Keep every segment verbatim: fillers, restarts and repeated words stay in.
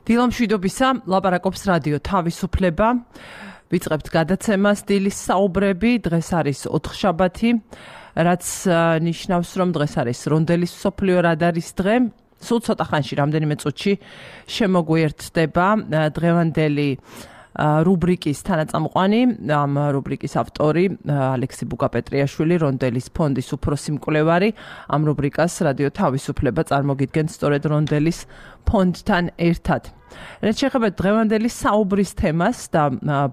დილამშვიდობისა, ლაპარაკობს რადიო თავისუფლება. ვიწყებთ გადაცემას დილის საუბრები. დღეს არის ოთხშაბათი, რაც ნიშნავს, რომ დღეს არის რონდელის მსოფლიო რადარის დღე. სულ ცოტა ხანში, რამდენიმე წუთში შემოგვიერთდება დღევანდელი რუბრიკის თანაწამყვანი, ამ რუბრიკის ავტორი ალექსი ბუკაპეტრიაშვილი, რონდელის ფონდის უფროსი მკვლევარი. ამ რუბრიკას რადიო თავისუფლება წარმოგიდგენს სწორედ რონდელის ფონდთან ერთად. რაც შეეხება დღევანდელი საუბრის თემას და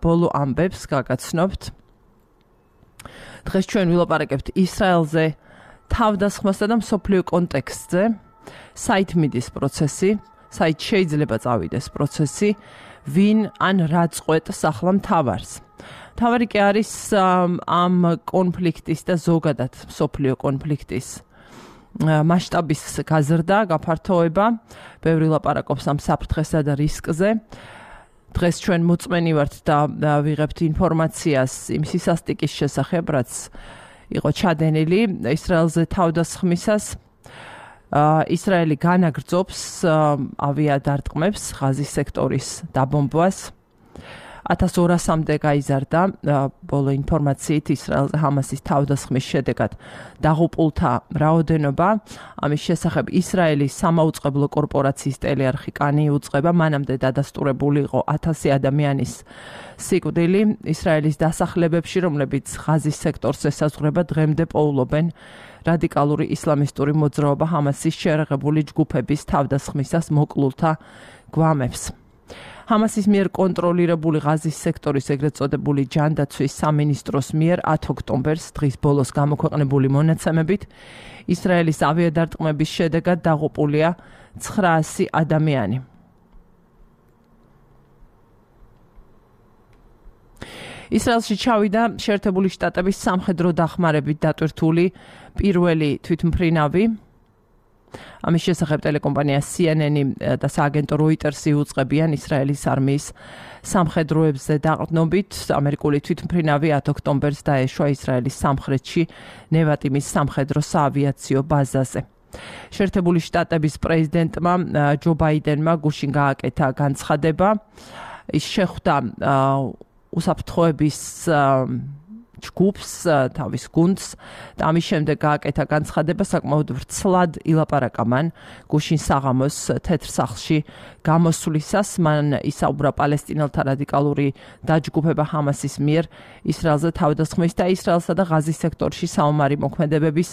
ბოლო ამბებს გაგაცნობთ. დღეს ჩვენ ვილაპარაკებთ ისრაელზე, თავდასხმასა და მსოფლიო კონტექსტზე, საით მიდის პროცესი, საით შეიძლება წავიდეს პროცესი, ვინ ან რა წყვეტს ახლა მთავარს. მთავარი კი არის ამ კონფლიქტის და ზოგადად მსოფლიო კონფლიქტის მასშტაბის გაზრდა, გაფართოება. ბევრი ლაპარაკობს ამ საფრთხესა და რისკზე. დღეს ჩვენ მოწმენი ვართ და ვიღებთ ინფორმაციას იმ სისასტიკის შესახებ, რაც იყო ჩადენილი ისრაელზე თავდასხმისას. ისრაელი განაგრძობს ავიადარტყმებს, ღაზის სექტორის დაბომბვას. ათას ორასამდე გაიზარდა ბოლო ინფორმაციით ისრაელზე ჰამასის თავდასხმის შედეგად დაღუპულთა რაოდენობა. ამის შესახებ ისრაელის სამაუწყებლო კორპორაციის ტელეარხი კანი იუწყება, მანამდე დადასტურებული იყო ათასი ადამიანის სიკვდილი. ისრაელის დასახლებებში, რომლებიც ღაზის სექტორს ესაზღვრება, დღემდე პოულობენ რადიკალური ისლამისტური მოძრაობა ჰამასის შეერაღებული ჯგუფების თავდასხმისას მოკლულთა გვამებს. ჰამასის მიერ კონტროლირებული ღაზის სექტორის ეგრეთ წოდებული ჯანდაცვის სამინისტროს მიერ ათი ოქტომბერს დღის ბოლოს გამოქვეყნებული მონაცემებით ისრაელის ავიადარტყმების შედეგად დაღუპულია ცხრაასი ადამიანი. ისრაელში ჩავიდა შეერთებული შტატების სამხედრო დახმარებით დატვირთული პირველი თვითმფრინავი. ამის შესახებ ტელეკომპანია სი ენ ენი და სააგენტო როიტერსი უწყებიან ისრაელის არმიის სამხედროებზე დაყრდნობით. ამერიკული თვითმფრინავი ათი ოქტომბერს დაეშვა ისრაელის სამხრეთში ნევატიმის სამხედრო საავიაციო ბაზაზე. შეერთებული შტატების პრეზიდენტმა ჯო ბაიდენმა გუშინ გააკეთა განცხადება. ის შეხვდა უსაფრთხოების ჯგუფს, თავის გუნდს და ამის შემდეგ გააკეთა განცხადება, საკმაოდ ვრცლად ილაპარაკა მან გუშინ საღამოს თეთრ სახლში გამოსვლისას. მან ისაუბრა პალესტინელთა რადიკალური დაჯგუფება ჰამასის მიერ ისრაელზე თავდასხმის და ისრაელსა და ღაზის სექტორში საომარი მოქმედებების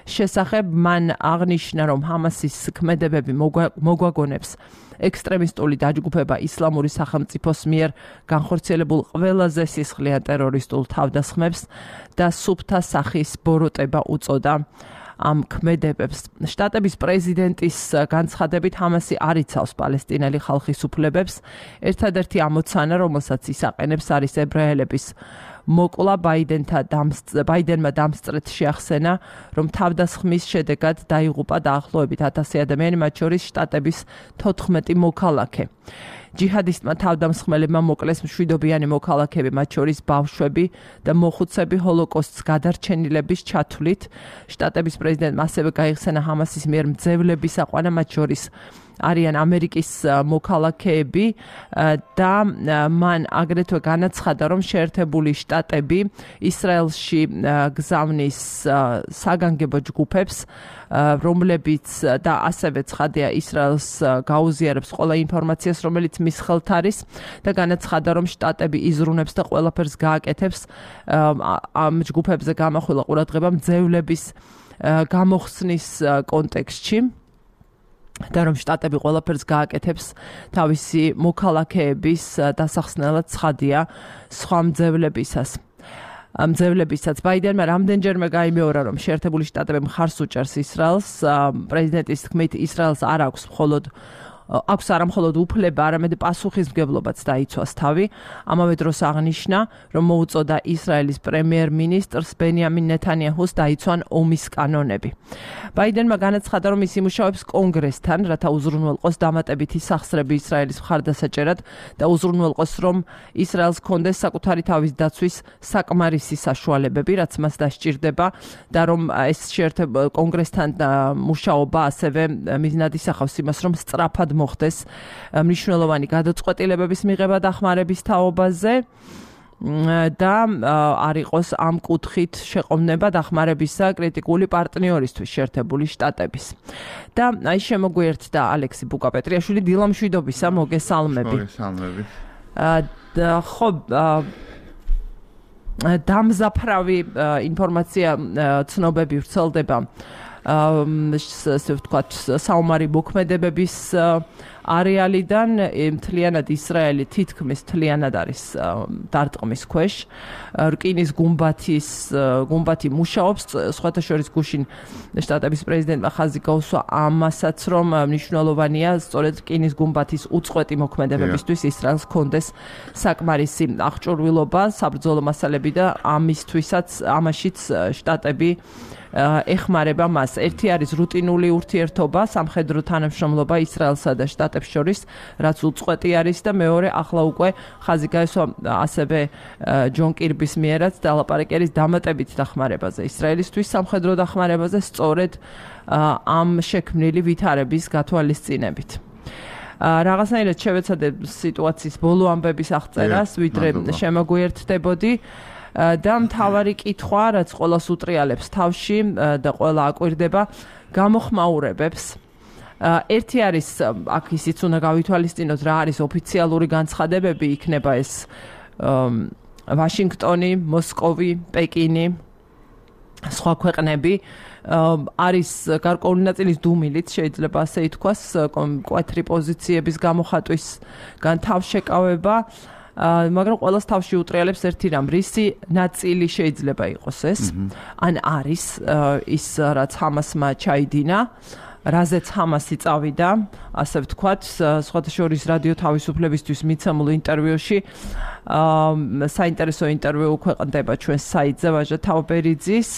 შესახებ. მან აღნიშნა, რომ ჰამასის ქმედებები მოგვაგონებს ექსტრემისტული დაჯგუფება ისლამური სახელმწიფოს მიერ განხორციელებულ ყველაზე სისხლიან ტერორისტულ თავდასხმებს და სუფთა სახის ბოროტება უწოდა ამ ქმედებებს. შტატების პრეზიდენტის განცხადებით ჰამასი არ იცავს პალესტინელი ხალხის უფლებებს. ერთადერთი ამოცანა, რომელსაც ის აყენებს, არის ებრაელების მოკლა. ბაიდენმა დამსწრეთ შეახსენა, რომ თავდასხმის შედეგად დაიღუპა დაახლოებით ათასი ადამიანი, მათ შორის შტატების თოთხმეტი მოქალაქე. ჯიჰადისტმა თავდამსხმელებმა მოკლეს მშვიდობიანი მოქალაქეები, მათ შორის ბავშვები და მოხუცები ჰოლოკოსტს გადარჩენილების ჩათვლით. შტატების პრეზიდენტმა ასევე გაიხსენა ჰამასის მიერ მძევლების აყვანა, მათ შორის არიან ამერიკის მოქალაქეები და მან აგრეთვე განაცხადა, რომ შეერთებული შტატები ისრაელში გზავნის საგანგებო ჯგუფებს, რომლებიც და ასევე ცხადია ისრაელს გაუზიარებს ყველა ინფორმაციას, რომელიც მის ხელთ არის და განაცხადა, რომ შტატები იზრუნებს და ყველაფერს გააკეთებს ამ ჯგუფებზე გამახვილა ყურადღება მძევლების გამოხსნის კონტექსტში. და რომ შტატები ყველაფერს გააკეთებს თავისი მოქალაქეების დასახსნელად ცხადია სხვა მძევლებისას. მძევლებისაც ბაიდენმა რამდენჯერმე გაიმეორა, რომ შეერთებული შტატები მხარს უჭერს ისრაელს. პრეზიდენტის თქმით, ისრაელს არ აქვს მხოლოდ აქვს არა მხოლოდ უფლება, არამედ პასუხისმგებლობაც დაიცვას თავი. ამავე დროს აღნიშნა, რომ მოუწოდა ისრაელის პრემიერ-მინისტრს ბენიამინ ნეთანიაჰუს დაიცვან ომის კანონები. ბაიდენმა განაცხადა, რომ ის იმუშავებს კონგრესთან, რათა უზრუნველყოს დამატებითი სახსრები ისრაელის მხარდასაჭერად და უზრუნველყოს, რომ ისრაელს ჰქონდეს საკუთარი თავის დაცვის საკმარისი საშუალებები, რაც მას დასჭირდება და რომ ეს შეერთებულ კონგრესთან მუშაობა ასევე მიზნად ისახავს იმას, რომ სწრაფად მოხდეს მნიშვნელოვანი გადაწყვეტილებების მიღება დახმარების თაობაზე და არ იყოს ამ კუთხით შეყოვნება დახმარებისა კრიტიკული პარტნიორისთვის შეერთებული შტატების. და აი შემოგვიერთდა ალექსი ბუკაპეტრიაშვილი დილამშვიდობისა მოგესალმები. მოგესალმები. და ხო დამზაფრავი ინფორმაცია ცნობები ვრცელდება ასე ვთქვათ საომარი მოქმედებების არეალიდან მთლიანად ისრაელი თითქმის მთლიანად არის დარტყმის ქვეშ რკინის გუმბათის გუმბათი მუშაობს სხვათა შორის გუშინ შტატების პრეზიდენტმა ხაზი გაუსვა ამასაც რომ მნიშვნელოვანია სწორედ რკინის გუმბათის უწყვეტი მოქმედებებისთვის ისრაელს ჰქონდეს საკმარისი აღჭურვილობა საბრძოლო მასალები და ამისთვისაც ამაშიც შტატები ეხმარება მას. ერთი არის რუტინული ურთიერთობა, სამხედრო თანამშრომლობა ისრაელსა და შტატებს შორის, რაც უწყვეტი არის და მეორე ახლა უკვე ხაზი გაესვა ასევე ჯონ კირბის მიერაც დალაპარაკერის დამატებით დახმარებაზე ისრაელისთვის სამხედრო დახმარებაზე სწორედ ამ შექმნილი ვითარების გათვალისწინებით. რაღაცნაირად შევეცადე სიტუაციის ბოლო ამბების აღწერას, ვიდრე შემოგვიერთდებოდი. და მთავარი კითხვა, რაც ყველას უტრიალებს თავში და ყველა აკვირდება, გამოხმაურებებს. ერთი არის, აქ ისიც უნდა გავითვალისწინოთ, რა არის ოფიციალური განცხადებები, იქნება ეს ვაშინგტონი, მოსკოვი, პეკინი, სხვა ქვეყნები. არის გარკვეული ნაწილის დუმილით, შეიძლება ასე ითქვას, მკვეთრი პოზიციების გამოხატვისგან თავშეკავება. მაგრამ ყველას თავში უტრიალებს ერთი რამ, რისი ნაწილი შეიძლება იყოს ეს, ან არის ის, რაც ჰამასმა ჩაიდინა, რაზეც ჰამასი წავიდა, ასე ვთქვათ, სხვათა შორის რადიო თავისუფლებისთვის მიცემულ ინტერვიუში, საინტერესო ინტერვიუ ქვეყნდება ჩვენს საიტზე ვაჟა თავბერიძის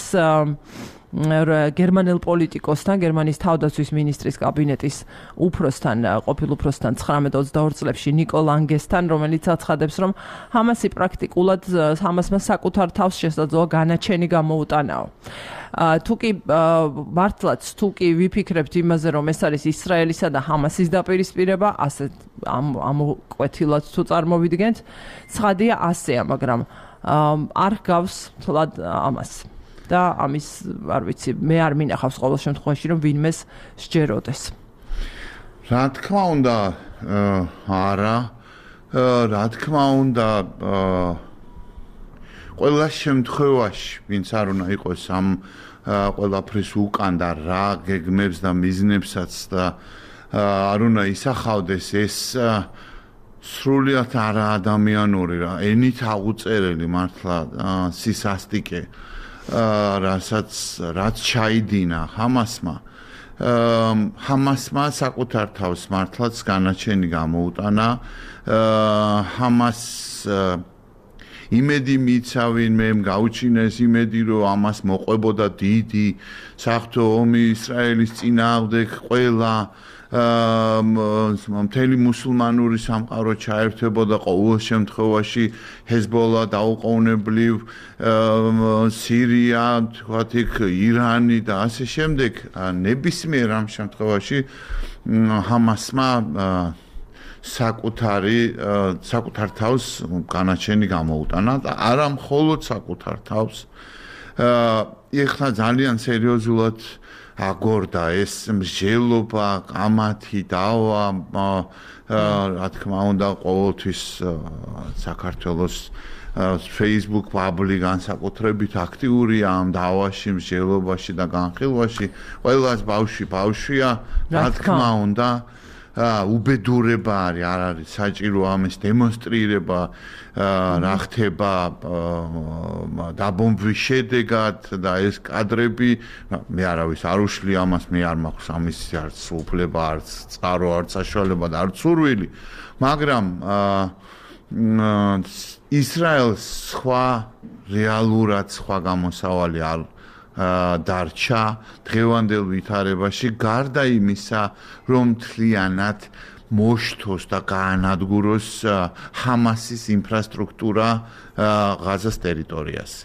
გერმანელ პოლიტიკოსთან, გერმანიის თავდაცვის მინისტრის კაბინეტის უფროსთან, ყოფილ უფროსთან ცხრამეტ ოცდაორ წლებში ნიკო ლანგესთან, რომელიც აცხადებს, რომ ჰამასი პრაქტიკულად ჰამასმა საკუთარ თავს შესაძლოა განაჩენი გამოუტანაო. თუ კი მართლაც თუ კი ვიფიქრებთ იმაზე, რომ ეს არის ისრაელისა და ჰამასის დაპირისპირება, ასე ამოკვეთილად თუ წარმოვიდგენთ, ცხადია ასეა, მაგრამ არ გავს თლად ამას. და ამის არ ვიცი, მე არ მინახავს ყოველ შემთხვევაში, რომ ვინმეს სჯეროდეს. რა თქმა უნდა, არა, რა თქმა უნდა, ყველა შემთხვევაში, ვინც არ უნდა იყოს ამ ყველაფრის უკან და რა გეგმებს და მიზნებსაც და არ უნდა ისახავდეს ეს სრულიად არა ადამიანური რა, ენით აღუწერელი მართლა სისასტიკე. რასაც რაც ჩაიდინა ჰამასმა ჰამასმა საკუთარ თავს მართლაც განაჩენი გამოუტანა ჰამას იმედი მიცავინ მე გაუჩინეს იმედი რომ ამას მოყვებოდა დიდი საღვთო ომი ისრაელის წინააღმდეგ ყველა მთელი მუსულმანური სამყარო ჩაერთვებოდა ყოველ შემთხვევაში ჰეზბოლა დაუყოვნებლივ სირია თქვათ იქ ირანი და ასე შემდეგ ნებისმიერ ამ შემთხვევაში ჰამასმა საკუთარი საკუთარ თავს განაჩენი გამოუტანა და არა მხოლოდ საკუთარ თავს ეხლა ძალიან სერიოზულად აგორდა ეს მსჯელობა, კამათი, დავა, რა თქმა უნდა, ყოველთვის საქართველოს Facebook პაბლიკ განსაკუთრებით აქტიურია ამ დავაში, მსჯელობაში და განხილვაში. ყველას ბავშვი ბავშვია, რა თქმა უნდა, უბედურება არის, არ არის საჭირო ამის დემონსტრირება, რა ხდება დაბომბვის შედეგად და ეს კადრები, მე არავის არ უშლი ამას, მე არ მაქვს ამის არც უფლება, არც წყარო, არც საშუალება და არც სურვილი, მაგრამ ისრაელს სხვა რეალურად სხვა გამოსავალი არ დარჩა დღევანდელ ვითარებაში გარდა იმისა რომ მთლიანად მოშთოს და გაანადგუროს ჰამასის ინფრასტრუქტურა ღაზას ტერიტორიაზე.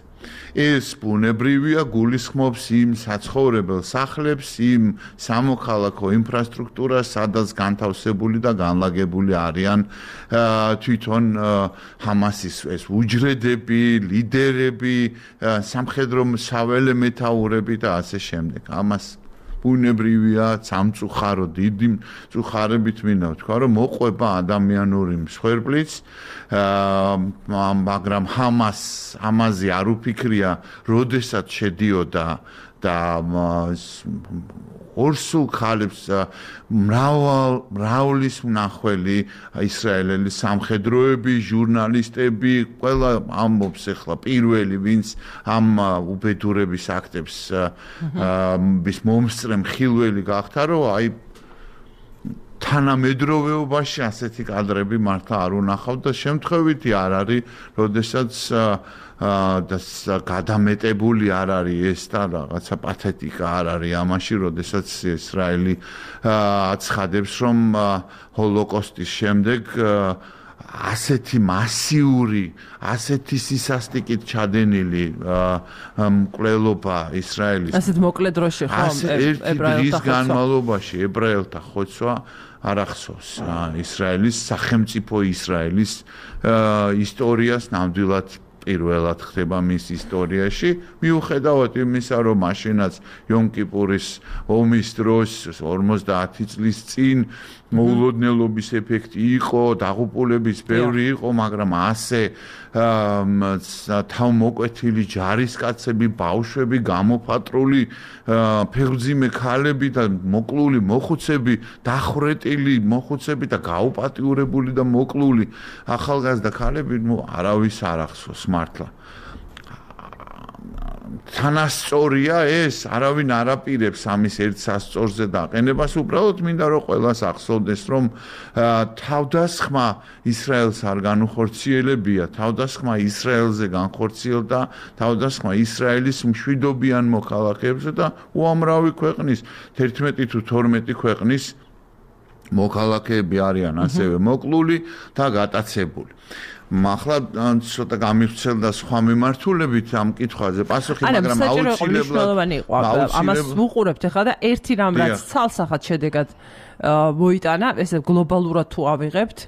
ეს ბუნებრივია, გულისხმობს იმ საცხოვრებელ სახლებს, იმ სამოქალაქო ინფრასტრუქტურას, სადაც განთავსებული და განლაგებული არიან თვითონ ჰამასის ეს უჯრედები, ლიდერები, სამხედრო საველე მეთაურები და ასე შემდეგ. ამას ბუნებრივია, სამწუხარო დიდი მწუხარებით მინდა ვთქვა, რომ მოყვება ადამიანური მსხვერპლიც, მაგრამ ჰამას ამაზე არ უფიქრია, როდესაც შედიოდა და ორსულ ხალებს მრავალ მრავლის მნახველი ისრაელელი სამხედროები, ჟურნალისტები, ყველა ამბობს ახლა პირველი, ვინც ამ უბედურების აქტებს ის მომსწრე მხილველი გახდა, რომ აი თანამედროვეობაში ასეთი კადრები მართლა არ უნახავთ და შემთხვევითი არ არის, როდესაც და გადამეტებული არ არის ეს და რაღაცა პათეტიკა არ არის ამაში, როდესაც ისრაელი აცხადებს, რომ ჰოლოკოსტის შემდეგ ასეთი მასიური, ასეთი სისასტიკით ჩადენილი მკვლელობა ისრაელის ასეთ მოკლე დროში ხო ებრაელთა განმავლობაში ებრაელთა ხოცვა არ ახსოვს ისრაელის სახელმწიფო ისრაელის ისტორიას ნამდვილად პირველად ხდება მის ისტორიაში, მიუხედავად იმისა, რომ მაშინაც იომ-კიპურის ომის დროს ორმოცდაათი წლის წინ მოულოდნელობის ეფექტი იყო, დაღუპულების ბევრი იყო, მაგრამ ასე თავმოკვეთილი ჯარისკაცები, ბავშვები, გამოფატრული ფეხმძიმე ქალები და მოკლული მოხუცები, დახვრეტილი მოხუცები და გაუპატიურებული და მოკლული ახალგაზრდა ქალები, ნუ არავის არ ახსოვს მართლა. თანასწორია ეს, არავინ არ აპირებს ამის ერთ სასწორზე დაყენებას, უბრალოდ მინდა რომ ყველას ახსოვდეს, რომ თავდასხმა ისრაელს არ განუხორციელებია, თავდასხმა ისრაელზე განხორციელდა, თავდასხმა ისრაელის მშვიდობიან მოქალაქეებზე და უამრავი ქვეყნის, თერთმეტი თუ თორმეტი ქვეყნის მოქალაქეები არიან ასევე მოკლული და გატაცებული. ახლა ცოტა გამივრცელდა სხვა მიმართულებით ამ კითხვაზე პასუხი, მაგრამ აუცილებლად ამას ვუყურებთ ახლა და ერთი რამ რაც ცალსახად შედეგად მოიტანა, ესე გლობალურად თუ ავიღებთ,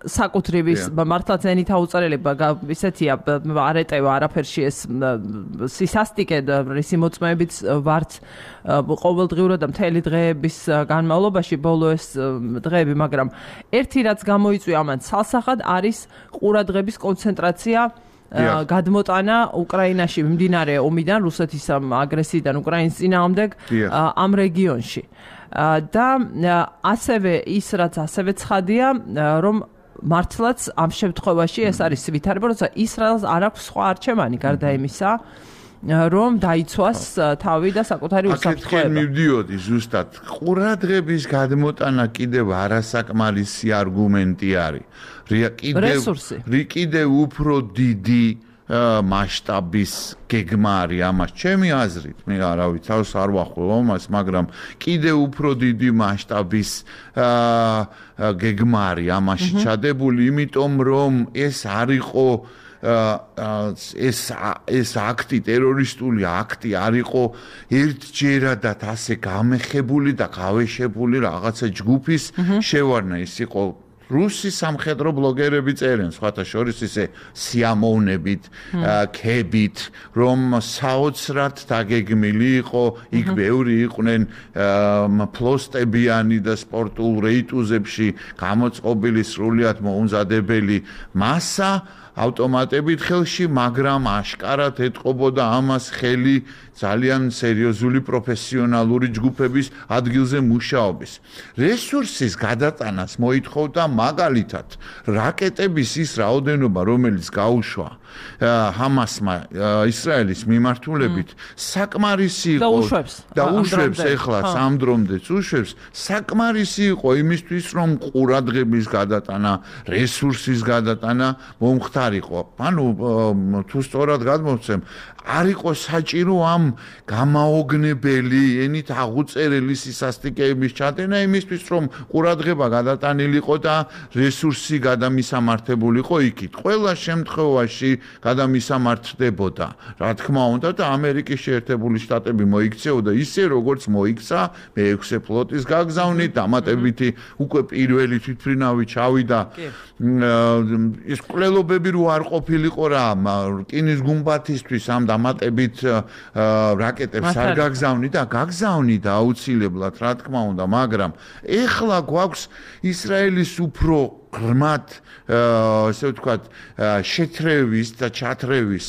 საკუთრივის მართლა ზენით აუწერელება ისეთია არ ეტევა არაფერში ეს სისასტიკე და რისი მოწმეებით ვართ ყოველდღიურად და მთელი დღეების განმავლობაში ბოლო ეს დღეები, მაგრამ ერთი რაც გამოიწვია ამან ცალსახად არის ყურადღების კონცენტრაცია გადმოტანა უკრაინაში მიმდინარე ომიდან, რუსეთის აგრესიიდან უკრაინის წინააღმდეგ ამ რეგიონში. და ასევე ის რაც ასევე ცხადია, რომ მართლაც ამ შემთხვევაში ეს არის ვითარება, როცა ისრაელს არ აქვს სხვა არჩევანი გარდა იმისა, რომ დაიცვას თავი და საკუთარი უსაფრთხოება. აქეთკენ მივდიოდი ზუსტად. ყურადღების გადმოტანა კიდევ არასაკმარისი არგუმენტი არის. რესურსი. კიდევ უფრო დიდი მასშტაბის გეგმა არის ამას ჩემი აზრით, მე არავის თავს არ ვახველო ამას, მაგრამ კიდევ უფრო დიდი მასშტაბის გეგმა არის ამაში ჩადებული, იმიტომ რომ ეს არ იყო ეს ეს აქტი, ტერორისტული აქტი არ იყო ერთჯერადად ასე გამეხებული და გავეშებული რაღაცა ჯგუფის შევარნა, ის იყო რუსი სამხედრო ბლოგერები წერენ, სხვათა შორის ისე სიამოვნებით, ქებით, რომ საოცრად დაგეგმილი იყო, იქ ბევრი იყვნენ ფლოსტებიანი და სპორტულ რეიტუზებში გამოწყობილი სრულიად მოუმზადებელი მასა ავტომატებით ხელში, მაგრამ აშკარად ეთყობოდა ამას ხელი ძალიან სერიოზული პროფესიონალური ჯგუფების ადგილზე მუშაობის. რესურსის გადატანას მოითხოვდა მაგალითად რაკეტების ის რაოდენობა, რომელიც გაუშვა ჰამასმა ისრაელის მიმართულებით, საკმარისი იყო და უშვებს ეხლა სამ დრომდეც უშვებს, საკმარისი იყო იმისთვის, რომ ყურადღების გადატანა, რესურსის გადატანა მომხდარიყო. ანუ თუ სწორად გადმოვცემ, არ იყო საჭირო ამ გამაოგნებელი, ენით აღუწერელი სისასტიკეების ჩადენა იმისთვის, რომ ყურადღება გადატანილიყო და რესურსი გადამისამართებულიყო იქით. ყველა შემთხვევაში გადამისამართდებოდა. რა თქმა უნდა და ამერიკის შეერთებული შტატები მოიქცეოდა ისე როგორც მოიქცა მეექვსე ფლოტის გაგზავნით, დამატებითი უკვე პირველი თვითმფრინავი ჩავიდა. ეს კვლელობები რო არ ყოფილიყო რა, რკინის გუმბათისთვის ამ დამატებით რაკეტებს არ გაგზავნიდა, გაგზავნიდა აუცილებლად, რა თქმა უნდა, მაგრამ ეხლა გვაქვს ისრაელის უფრო ღრმად, ასე ვთქვათ, შეთრევის და ჩათრევის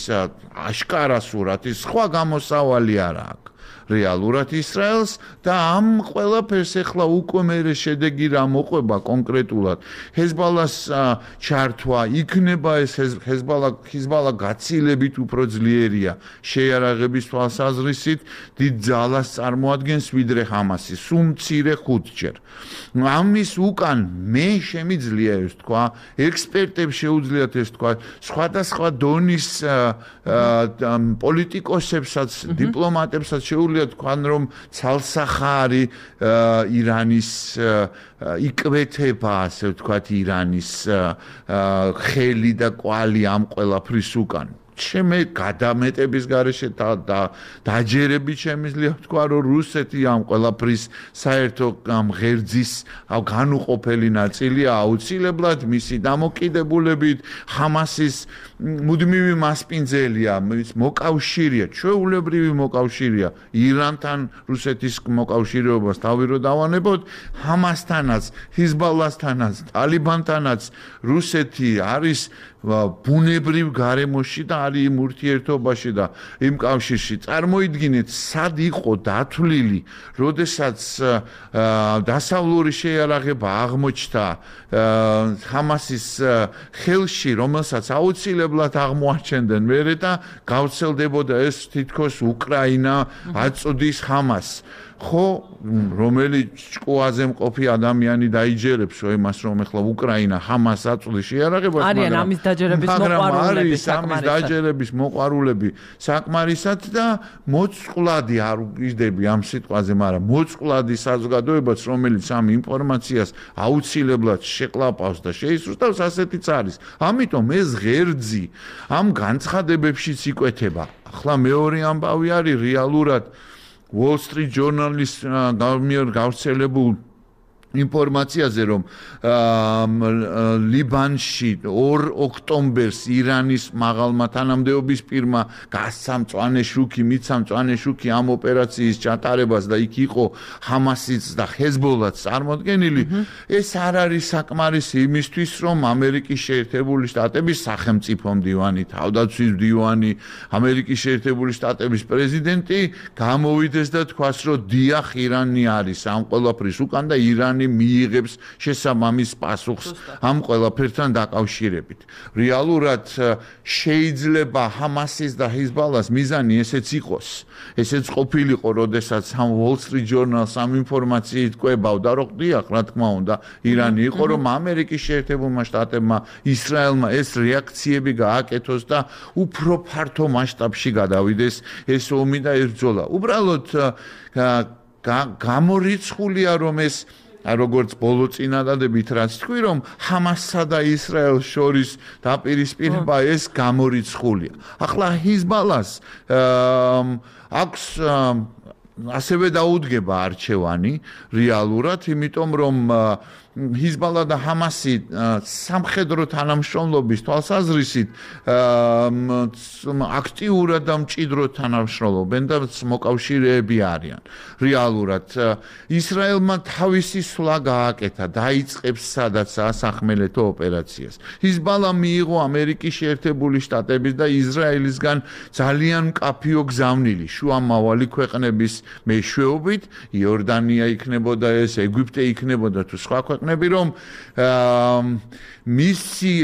აშკარა სურათი, სხვა გამოსავალი არ აქვს. რეალურად ისრაელს და ამ ყველაფერს ეხლა უკვე მერე შედეგი რა მოყვება კონკრეტულად. ჰეზბალას ჩართვა იქნება ეს ჰეზბალა ჰეზბალა გაცილებით უფრო ძლიერია შეიარაღების თვალსაზრისით, დიდ ძალას წარმოადგენს ვიდრე ჰამასი, სულ მცირე ხუთჯერ. ამის უკან მე შემიძლია ეს თქვა, ექსპერტებს შეუძლიათ ეს თქვა, სხვადასხვა დონის პოლიტიკოსებსაც, დიპლომატებსაც შეუძლიათ თქვან რომ ცალსახარი ირანის იკვეთება, ასე ვთქვათ, ირანის ხელი და კვალი ამ ყველაფრის უკან. ჩემი გადამეტების გარეშე და დაჯერებით შემიძლია ვთქვა, რომ რუსეთი ამ ყველაფრის საერთო ღერძის განუყოფელი ნაწილია აუცილებლად მისი დამოკიდებულებით, ჰამასის მუდმივი მასპინძელია, მოკავშირეა, ჩვეულებრივი მოკავშირეა ირანთან რუსეთის მოკავშირეობას თავი რო დავანებოთ, ჰამასთანაც, ჰიზბალასთანაც, ტალიბანთანაც რუსეთი არის ბუნებრივ გარემოში და არის იმ ურთიერთობაში და იმ კავშირში. წარმოიდგინეთ, სად იყო დათვლილი, როდესაც დასავლური შეიარაღება აღმოჩნდა ჰამასის ხელში, რომელსაც აუცილებლად აღმოაჩენდნენ მერე და გავრცელდებოდა ეს თითქოს უკრაინა აწოდის ჰამასს. ხო, რომელი ჭკუაზე მყოფი ადამიანი დაიჯერებს იმას, რომ ეხლა უკრაინა ჰამას აწვდის შეიარაღებას, მაგრამ ამის დაჯერების მოყვარულები, ამის დაჯერების მოყვარულები საკმარისად და მოწყვლადი არ ვიждები ამ სიტყვაზე, მაგრამ მოწყვლადი საზოგადოებაც, რომელიც ამ ინფორმაციას აუცილებლად შეკლაპავს და შეისრულთავს, ასეთიც არის. ამიტომ ეს ღერძი ამ განცხადებებშიც იკვეთება. ახლა მეორე ამბავი არის რეალურად Wall Street Journal-ის გამიერ გავრცელებულ ინფორმაციაზე, რომ ლიბანში ორ ოქტომბერს ირანის მაღალმა თანამდებობის პირმა გასცა მწვანე შუქი, მიცა მწვანე შუქი ამ ოპერაციის ჩატარებას და იქ იყო ჰამასიც და ჰეზბოლაც წარმოდგენილი. ეს არ არის საკმარისი იმისთვის, რომ ამერიკის შეერთებული შტატების სახელმწიფო მდივანი, თავდაცვის მდივანი, ამერიკის შეერთებული შტატების პრეზიდენტი გამოვიდეს და თქვას, რომ დიახ, ირანი არის ამ ყველაფრის უკან და ირანი მიიღებს შესაბამის პასუხს ამ ყველაფერთან დაკავშირებით. რეალურად შეიძლება ჰამასის და ჰიზბალას მიზანი ესეც იყოს. ესეც ყოფილიყო, როდესაც ამ Wall Street Journal-ს ამ ინფორმაციით კვებავდა, რომ დიახ, რა თქმა უნდა, ირანი იყო, რომ ამერიკის შეერთებულმა შტატებმა, ისრაელმა ეს რეაქციები გააკეთოს და უფრო ფართო მასშტაბში გადავიდეს ეს ომი და ეს ბრძოლა. უბრალოდ გამორიცხულია, რომ ეს როგორც ბოლო წინადადებით რაც თქვი, რომ ჰამასსა და ისრაელს შორის დაპირისპირება ეს გამორიცხულია. ახლა ჰიზბალას აქვს ასევე დაუდგება არჩევანი რეალურად, იმიტომ რომ ჰიზბალა და ჰამასი სამხედრო თანამშრომლობის თვალსაზრისით აქტიურად და მჭიდროდ თანამშრომლობენ და მოკავშირეები არიან. რეალურად ისრაელმა თავისი სვლა გააკეთა, დაიწყებს სადაც ასახმელეთო ოპერაციას. ჰიზბალა მიიღო ამერიკის შეერთებული შტატების და ისრაელისგან ძალიან მკაფიო გზავნილი შუამავალი ქვეყნების მეშვეობით, იორდანია იქნებოდა ეს, ეგვიპტე იქნებოდა თუ სხვა ქვეყნები, რომ მისი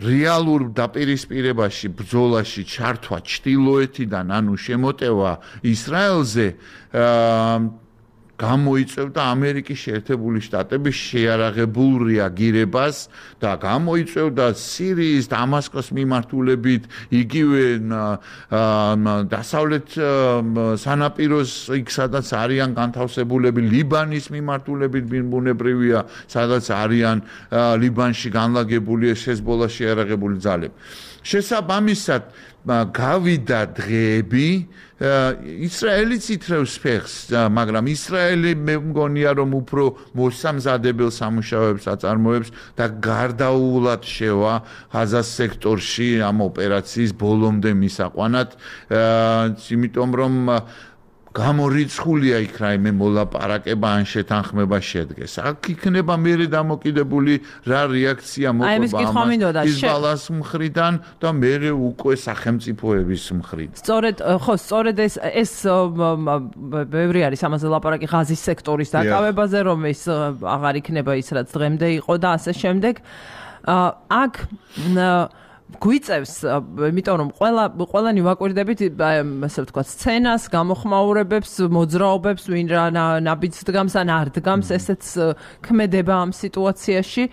რეალურ დაპირისპირებაში, ბრძოლაში ჩართვა ჩრდილოეთიდან, ანუ შემოტევა ისრაელზე გამოიწვევდა ამერიკის შეერთებული შტატების შეიარაღებულ რეაგირებას და გამოიწვევდა სირიის დამასკოს მიმართულებით იგივე დასავლეთ სანაპიროს იქ სადაც არიან განთავსებულები ლიბანის მიმართულებით ბუნებრივია სადაც არიან ლიბანში განლაგებული ჰეზბოლას შეიარაღებული ძალები შესაბამისად გავიდა დღეები ისრაელიც ითრევს ფეხს მაგრამ ისრაელი მე მგონია რომ უფრო მოსამზადებელ სამუშაოებს აწარმოებს და გარდაუულად შევა ღაზას სექტორში ამ ოპერაციის ბოლომდე მისაყვანად იმიტომ რომ გამორიცხულია იქ რაიმე მოლაპარაკება ან შეთანხმება შედგეს. აქ იქნება მერე დამოკიდებული რა რეაქცია მოყვება ჰიზბალას მხრიდან და მერე უკვე სახელმწიფოების მხრიდან. სწორედ ხო, სწორედ ეს ეს ბევრი არის ამაზე ლაპარაკი ღაზის სექტორის დაკავებაზე, რომ ეს აღარ იქნება ის რაც დღემდე იყო და ასე შემდეგ. აქ გვიწევს, იმიტომ რომ ყველა ყველანი ვაკვირდებით, ასე ვთქვათ, სცენას, გამოხმაურებებს, მოძრაობებს, ვინ რა ნაბიჯს დგამს ან არ დგამს, ესეც ქმედება ამ სიტუაციაში.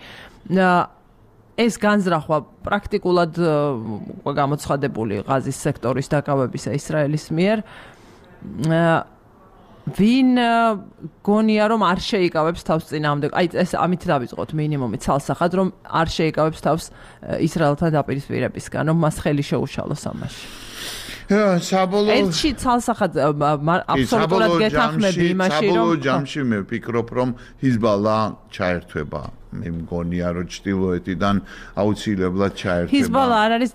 ეს განზრახვა პრაქტიკულად გამოცხადებული ღაზის სექტორის დაკავებისა ისრაელის მიერ. ვინ გონია რომ არ შეიკავებს თავს წინააღმდეგ აი ეს ამით დავიწყოთ მინიმუმი ცალსახად რომ არ შეიკავებს თავს ისრაელთან დაპირისპირებისგან რომ მას ხელი შეუშალოს ამაში საბოლოო ერთში ცალსახად აბსოლუტურად გეთანხმები იმაში რომ საბოლოო ჯამში მე ვფიქრობ რომ ჰიზბალა ჩაერთვება მე მგონია რომ ჩtildeოეთიდან აუცილებლად ჩაერთვება ჰიზბალა არ არის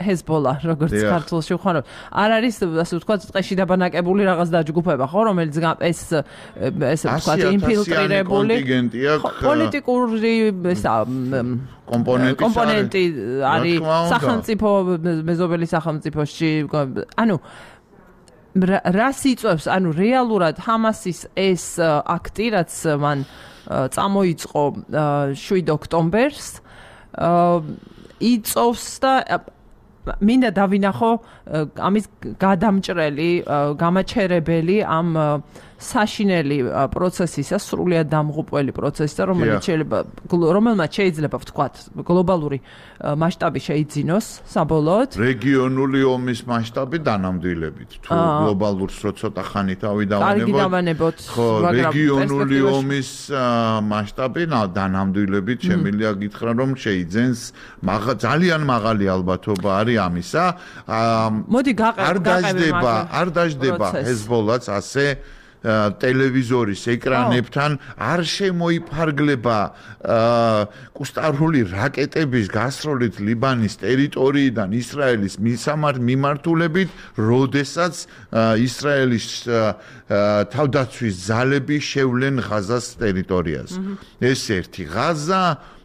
ჰეზბოლა როგორც ქართულში ვხარო არ არის ასე ვთქვათ ტყეში დაბანაკებული რაღაც დაჯგუფება ხო რომელიც ეს ესე ვთქვათ ინფილტრირებული პოლიტიკური კომპონენტი კომპონენტი არის სახელმწიფო მეზობელი სახელმწიფოში ანუ რას იწევს ანუ რეალურად ჰამასის ეს აქტი რაც მან წამოიწყო შვიდ ოქტომბერს იწოვს და მინდა დავინახო ამის გადამჭრელი გამაჩერებელი ამ საშინელი პროცესისა სრულიად დამღუპველი პროცესისა რომელიც შეიძლება რომელმაც შეიძლება ვთქვათ გლობალური მასშტაბი შეიძინოს საბოლოოდ რეგიონული ომის მასშტაბი დანამდვილებით თუ გლობალურს რო ცოტა ხანი თავი დავანებოთ ხო რეგიონული ომის მასშტაბი დანამდვილებით შემიძლია გითხრა რომ შეიძენს ძალიან მაღალი ალბათობა არის ამისა მოდი გაყევი არ დაждდება ჰეზბოლაც ასე ტელევიზორის ეკრანებთან არ შემოიფარგლება კუსტარული რაკეტების გასროლით ლიბანის ტერიტორიიდან ისრაელის მიმართულებით, როდესაც ისრაელის თავდაცვის ძალები შევლენ ღაზას ტერიტორიაზე. ეს ერთი ღაზა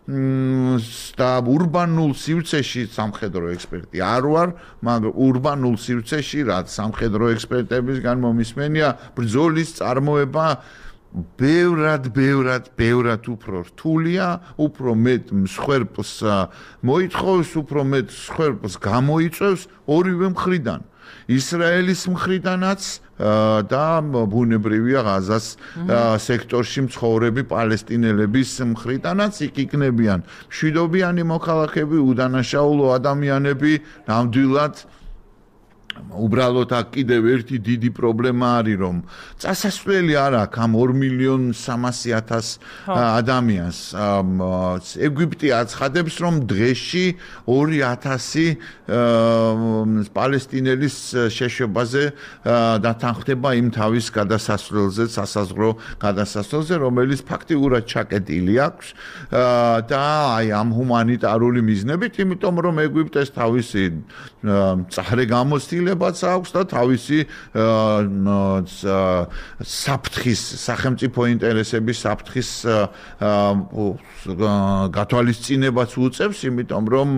და ურბანულ სივრცეში სამხედრო ექსპერტი არ ვარ, მაგრამ ურბანულ სივრცეში რაც სამხედრო ექსპერტებისგან მომისმენია ბრძოლის წარმოება ბევრად, ბევრად, ბევრად უფრო რთულია, უფრო მეტ მსხვერპლს მოითხოვს, უფრო მეტ მსხვერპლს გამოიწვევს ორივე მხრიდან. ისრაელის მხრიდანაც და ბუნებრივია ღაზას სექტორში მცხოვრები პალესტინელების მხრიდანაც იქ იქნებიან მშვიდობიანი მოქალაქეები, უდანაშაულო ადამიანები, ნამდვილად უბრალოდ აქ კიდევ ერთი დიდი პრობლემა არის რომ წასასვლელი არ აქვს ამ ორ მილიონ სამასი ათას ადამიანს ეგვიპტე აცხადებს რომ დღეში ორი ათასი პალესტინელის შეშვებაზე დათანხმდება იმ თავის გადასასვლელზე სასაზღვრო გადასასვლელზე რომელიც ფაქტიურად ჩაკეტილი აქვს და აი ამ ჰუმანიტარული მიზნებით იმიტომ რომ ეგვიპტეს თავისი წარე გამოცდილება აქვს და თავისი საფრთხის სახელმწიფო ინტერესების საფრთხის გათვალისწინებაც უწევს, იმიტომ რომ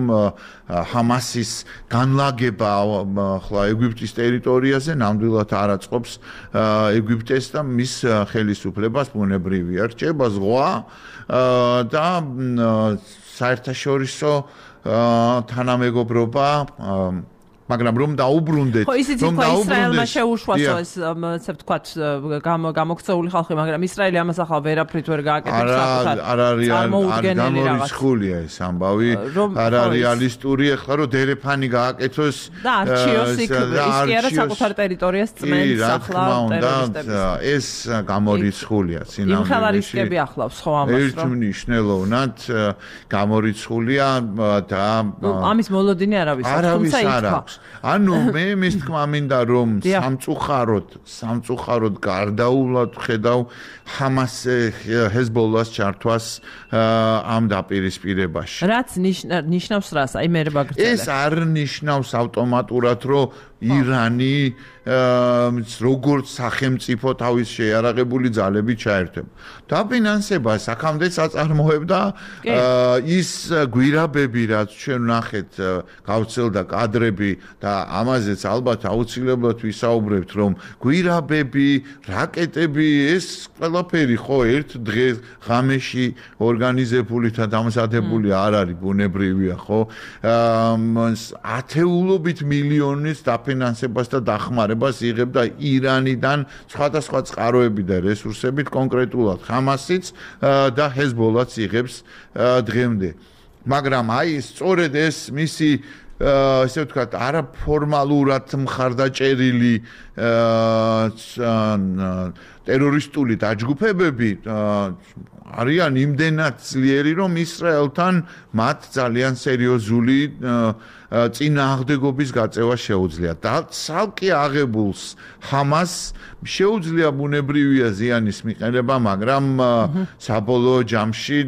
ჰამასის განლაგება ახლა ეგვიპტის ტერიტორიაზე ნამდვილად არ აწყობს ეგვიპტეს და მის ხელისუფლებას ბუნებრივია რჩება ზღვა და საერთაშორისო თანამეგობრობა მაგრამ რომ დაუბრუნდეთ ხო ისიც იყო ისრაელმა შეუშვასო ეს ასე ვთქვათ გამოქცეული ხალხი მაგრამ ისრაელი ამას ახლა ვერაფრით ვერ გააკეთებს საკუთარ არ არის გამორიცხულია ეს ამბავი არ არის რეალისტური ახლა რომ დერეფანი გააკეთოს და არჩიოს იქ ის კი არა საკუთარ ტერიტორიას წმენს ახლა ტერორისტებს ეს გამორიცხულია სინამდვილეში იმ ხალარისკები ახლავს ხო ამას რომ ერთმნიშვნელოვნად გამორიცხულია და ამის მოლოდინი არავის თუმცა ითქვა ანუ მე მის თქმა მინდა რომ სამწუხაროდ სამწუხაროდ გარდაულად ხედავ ჰამას ჰეზბოლას ჩართვას ამ დაპირისპირებაში რაც ნიშნავს რას აი მე მაგრძელე ეს არ ნიშნავს ავტომატურად რომ ირანი როგორც სახელმწიფო თავის შეიარაღებული ძალებით ჩაერთება. დაფინანსებას აქამდე საწარმოებდა ის გვირაბები, რაც ჩვენ ნახეთ, გავცელდა კადრები და ამაზეც ალბათ აუცილებლად ვისაუბრებთ, რომ გვირაბები, რაკეტები, ეს ყველაფერი ხო ერთ დღეს ღამეში ორგანიზებული და დამზადებული არ არის ბუნებრივია, ხო? ათეულობით მილიონის დაფინანსებას და დახმარებას იღებდა ირანიდან სხვადასხვა წყაროები და რესურსებით კონკრეტულად ჰამასიც და ჰეზბოლაც იღებს დღემდე. მაგრამ აი სწორედ ეს მისი ესე ვთქვათ არაფორმალურად მხარდაჭერილი ტერორისტული დაჯგუფებები არიან იმდენად ძლიერი რომ ისრაელთან მათ ძალიან სერიოზული წინააღმდეგობის გაწევა შეუძლია და ცალკე აღებულს ჰამას შეუძლია ბუნებრივია ზიანის მიყენება მაგრამ საბოლოო ჯამში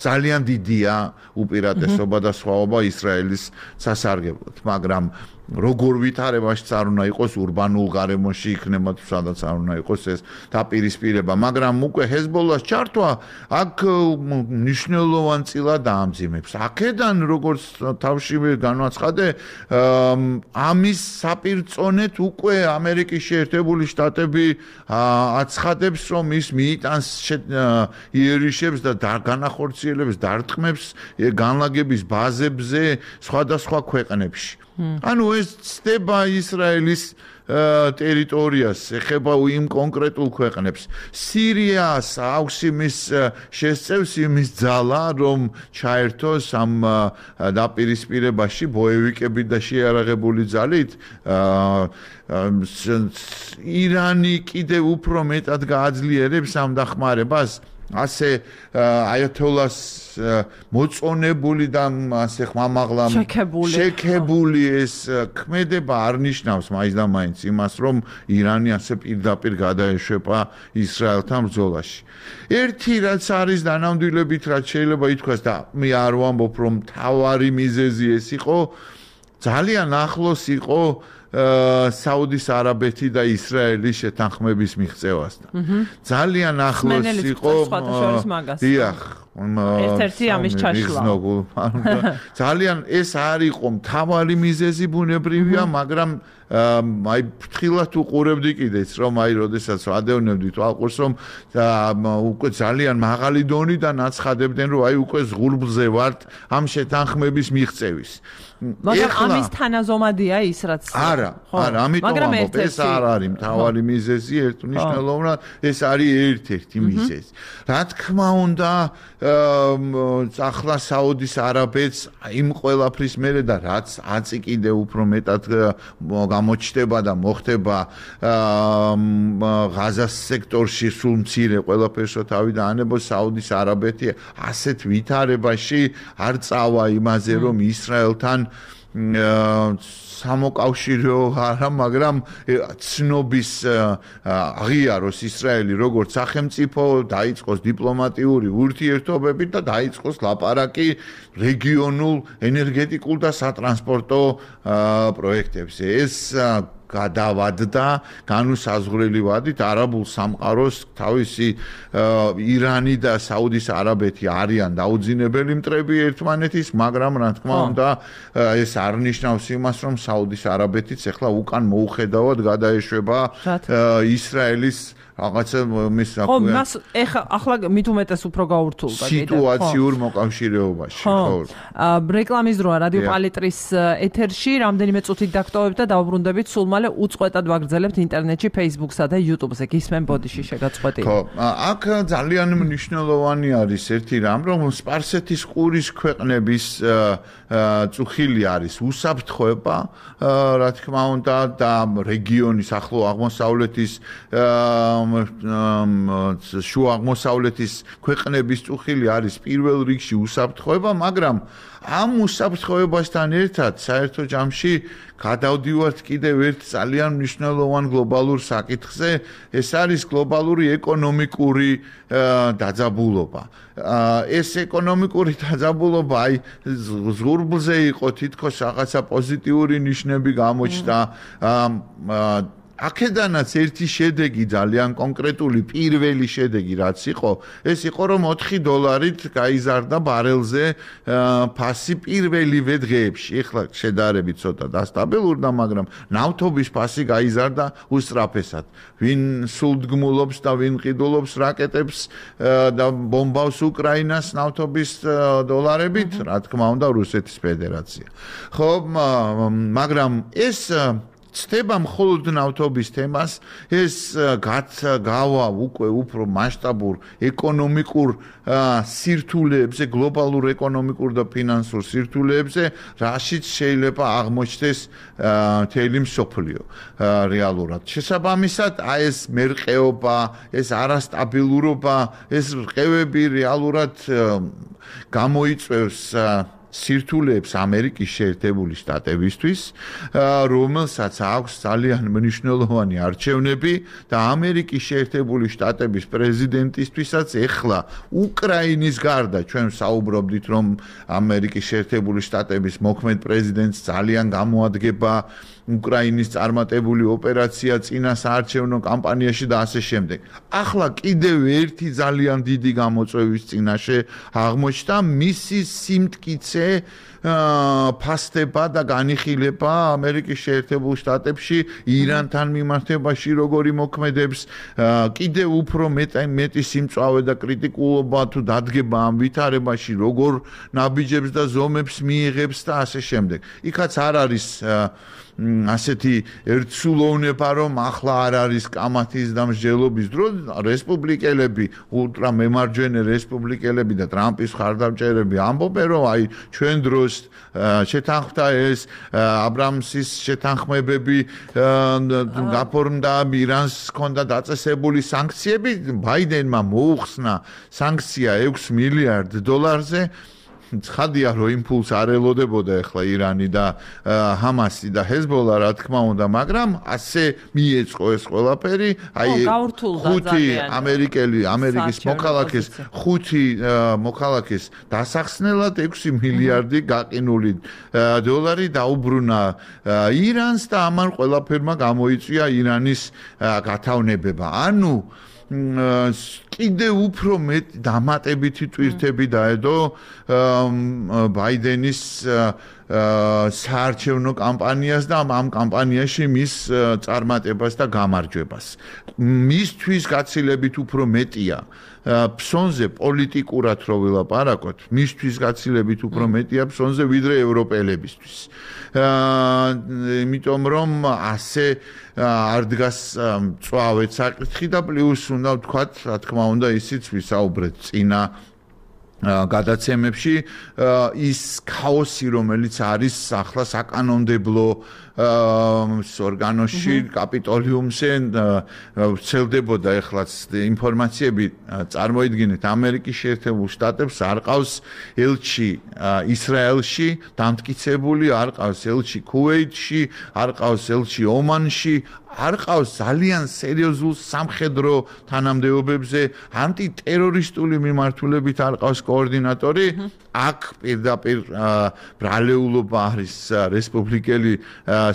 ძალიან დიდია უპირატესობა და სხვაობა ისრაელის სასარგებლოდ მაგრამ როგორ ვითარებაში არ უნდა იყოს ურბანულ გარემოში იქნება თუ სადაც არ უნდა იყოს ეს დაპირისპირება მაგრამ უკვე ჰეზბოლას ჩართვა აქ მნიშვნელოვან წილად დაამძიმებს აქედან როგორც თავშივე განვაცხადე ამის საპირწონეთ უკვე ამერიკის შეერთებული შტატები აცხადებს რომ ის მიიტანს იერიშებს და განახორციელებს დარტყმებს განლაგების ბაზებზე სხვადასხვა ქვეყნებში ანუ ეს ცდება ისრაელის ტერიტორიას ეხება იმ კონკრეტულ ქვეყნებს სირიას აქვს იმის შესწევს იმის ძალა რომ ჩაერთოს ამ დაპირისპირებაში ბოევიკები და შეიარაღებული ძალით ირანი კიდევ უფრო მეტად გააძლიერებს ამ დახმარებას ასე აიათოლას მოწონებული და ასე ხმამაღლა შეკებული ეს ქმედება არ ნიშნავს მაინც და მაინც იმას რომ ირანი ასე პირდაპირ გადაეშვება ისრაელთან ბრძოლაში. ერთი რაც არის დანამდვილებით რაც შეიძლება ითქვას და მე არ ვამბობ რომ თავარი მიზეზი ეს იყო ძალიან ახლოს იყო საუდის არაბეთი და ისრაელის შეთანხმების მიღწევასთან. ძალიან ახლოს იყო დიახ ერთ-ერთი ამის ჩაშლა. ძალიან ეს არ იყო მთავარი მიზეზი ბუნებრივია, მაგრამ აი ფრთხილად უყურებდი კიდეც რომ აი როდესაც ადევნებდი თვალყურს რომ უკვე ძალიან მაღალი დონიდან აცხადებდნენ რომ აი უკვე ზღურბლზე ვართ ამ შეთანხმების მიღწევის. მაგრამ ამის თანაზომადია ის რაც არა, არა, ამიტომ ამბობ ეს არ არის მთავარი მიზეზი, ერთმნიშვნელოვნად ეს არის ერთ-ერთი მიზეზი. რა თქმა უნდა, ახლა საუდის არაბეთს იმ ყველაფრის მერე და რაც აწი კიდე უფრო მეტად გამოჩნდება და მოხდება ღაზას სექტორში სულ მცირე ყველაფერსო თავი დაანებოს საუდის არაბეთი ასეთ ვითარებაში არ წავა იმაზე რომ ისრაელთან სამოკავშირო არა, მაგრამ ცნობის აღიაროს ისრაელი როგორც სახელმწიფო, დაიწყოს დიპლომატიური ურთიერთობები და დაიწყოს ლაპარაკი რეგიონულ ენერგეტიკულ და სატრანსპორტო პროექტებზე. ეს გადავადდა განუსაზღვრელი ვადით არაბულ სამყაროს თავისი ირანი და საუდის არაბეთი არიან დაუძინებელი მტრები ერთმანეთის, მაგრამ რა თქმა უნდა ეს არ ნიშნავს იმას, რომ საუდის არაბეთიც ახლა უკან მოუხედავად გადაეშვება ისრაელის რაღაცა მის ხო, მას ეხა ახლა მით უმეტეს უფრო გაურთულდა კიდე სიტუაციურ მოკავშირეობაში, ხო. რეკლამის დროა რადიო პალიტრის ეთერში, რამდენიმე წუთით დაგტოვებთ და დავბრუნდებით სულ მალე უწყვეტად ვაგრძელებთ ინტერნეტში, Facebook-სა და YouTube-ზე. გისმენ ბოდიში შეგაწყვეტილი. ხო, აქ ძალიან მნიშვნელოვანი არის ერთი რამ, რომ სპარსეთის ყურის ქვეყნების წუხილი არის უსაფრთხოება, რა თქმა უნდა, და რეგიონის ახლო აღმოსავლეთის შუა აღმოსავლეთის ქვეყნების წუხილი არის პირველ რიგში უსაფრთხოება, მაგრამ ამ უსაფრთხოებასთან ერთად საერთო ჯამში გადავდივართ კიდევ ერთ ძალიან მნიშვნელოვან გლობალურ საკითხზე, ეს არის გლობალური ეკონომიკური დაძაბულობა. ეს ეკონომიკური დაძაბულობა აი ზღურბლზე იყო თითქოს რაღაცა პოზიტიური ნიშნები გამოჩნდა. აქედანაც ერთი შედეგი ძალიან კონკრეტული პირველი შედეგი რაც იყო, ეს იყო რომ ოთხი დოლარით გაიზარდა ბარელზე ფასი პირველივე დღეებში. ეხლა შედარებით ცოტა დასტაბილურდა, მაგრამ ნავთობის ფასი გაიზარდა უსწრაფესად. ვინ სულდგმულობს და ვინ ყიდულობს რაკეტებს და ბომბავს უკრაინას ნავთობის დოლარებით, რა თქმა უნდა, რუსეთის ფედერაცია. ხო, მაგრამ ეს ცდება მხოლოდ ნავთობის თემას, ეს გავა უკვე უფრო მასშტაბურ ეკონომიკურ სირთულეებზე, გლობალურ ეკონომიკურ და ფინანსურ სირთულეებზე, რაშიც შეიძლება აღმოჩნდეს მთელი მსოფლიო რეალურად. შესაბამისად, აი ეს მერყეობა, ეს არასტაბილურობა, ეს რყევები რეალურად გამოიწვევს სირთულეებს ამერიკის შეერთებული შტატებისთვის, რომელსაც აქვს ძალიან მნიშვნელოვანი არჩევნები და ამერიკის შეერთებული შტატების პრეზიდენტისთვისაც ეხლა უკრაინის გარდა ჩვენ საუბრობდით, რომ ამერიკის შეერთებული შტატების მოქმედ პრეზიდენტს ძალიან გამოადგება უკრაინის წარმატებული ოპერაცია წინა საარჩევნო კამპანიაში და ასე შემდეგ. ახლა კიდევ ერთი ძალიან დიდი გამოწვევის წინაშე აღმოჩნდა მისი სიმტკიცე ფასდება და განიხილება ამერიკის შეერთებულ შტატებში ირანთან მიმართებაში როგორი მოქმედებს, კიდევ უფრო მეტი სიმწვავე და კრიტიკულობა თუ დადგება ამ ვითარებაში, როგორ ნაბიჯებს და ზომებს მიიღებს და ასე შემდეგ. იქაც არ არის ასეთი ერთსულოვნება, რომ ახლა არ არის კამათის და მსჯელობის დრო, რესპუბლიკელები, ულტრა მემარჯვენე რესპუბლიკელები და ტრამპის მხარდამჭერები ამბობენ, რომ აი ჩვენ დროს შეთანხმდა ეს აბრამსის შეთანხმებები, გაფორმდა ირანს ჰქონდა დაწესებული სანქციები, ბაიდენმა მოუხსნა სანქცია ექვს მილიარდ დოლარზე. ცხადია, რომ იმპულს არ ელოდებოდა ახლა ირანი და ჰამასი და ჰეზბოლა, რა თქმა უნდა, მაგრამ ასე მიეწყო ეს ყველაფერი, აი ხუთი ამერიკელი, ამერიკის მოქალაქეს, ხუთი მოქალაქეს დასახსნელად ექვსი მილიარდი გაყინული დოლარი დაუბრუნა ირანს და ამან ყველაფერმა გამოიწვია ირანის გათავნებება. ანუ კიდე უფრო მეტ დამატებითი ტვირთები დაედო ბაიდენის საარჩევნო კამპანიას და ამ კამპანიაში მის წარმატებას და გამარჯვებას. მისთვის გაცილებით უფრო მეტია ფსონზე პოლიტიკურად რო ვილაპარაკოთ, მისთვის გაცილებით უფრო მეტია ფსონზე ვიდრე ევროპელებისთვის. იმიტომ რომ ასე არ დგას მწვავედ საკითხი და პლუს უნდა ვთქვათ, რა თქმა უნდა, ისიც ვისაუბრეთ წინა გადაცემებში, ის ქაოსი, რომელიც არის ახლა საკანონმდებლო ორგანოში, კაპიტოლიუმზე, ვრცელდებოდა ეხლაც ინფორმაციები, წარმოიდგინეთ, ამერიკის შეერთებულ შტატებს არ ყავს ელჩი ისრაელში დამტკიცებული, არ ყავს ელჩი ქუვეითში, არ ყავს ელჩი ომანში, არ ყავს ძალიან სერიოზულ სამხედრო თანამდებობებზე, ანტიტერორისტული მიმართულებით არ ყავს კოორდინატორი. აქ პირდაპირ ბრალეულობა არის რესპუბლიკელი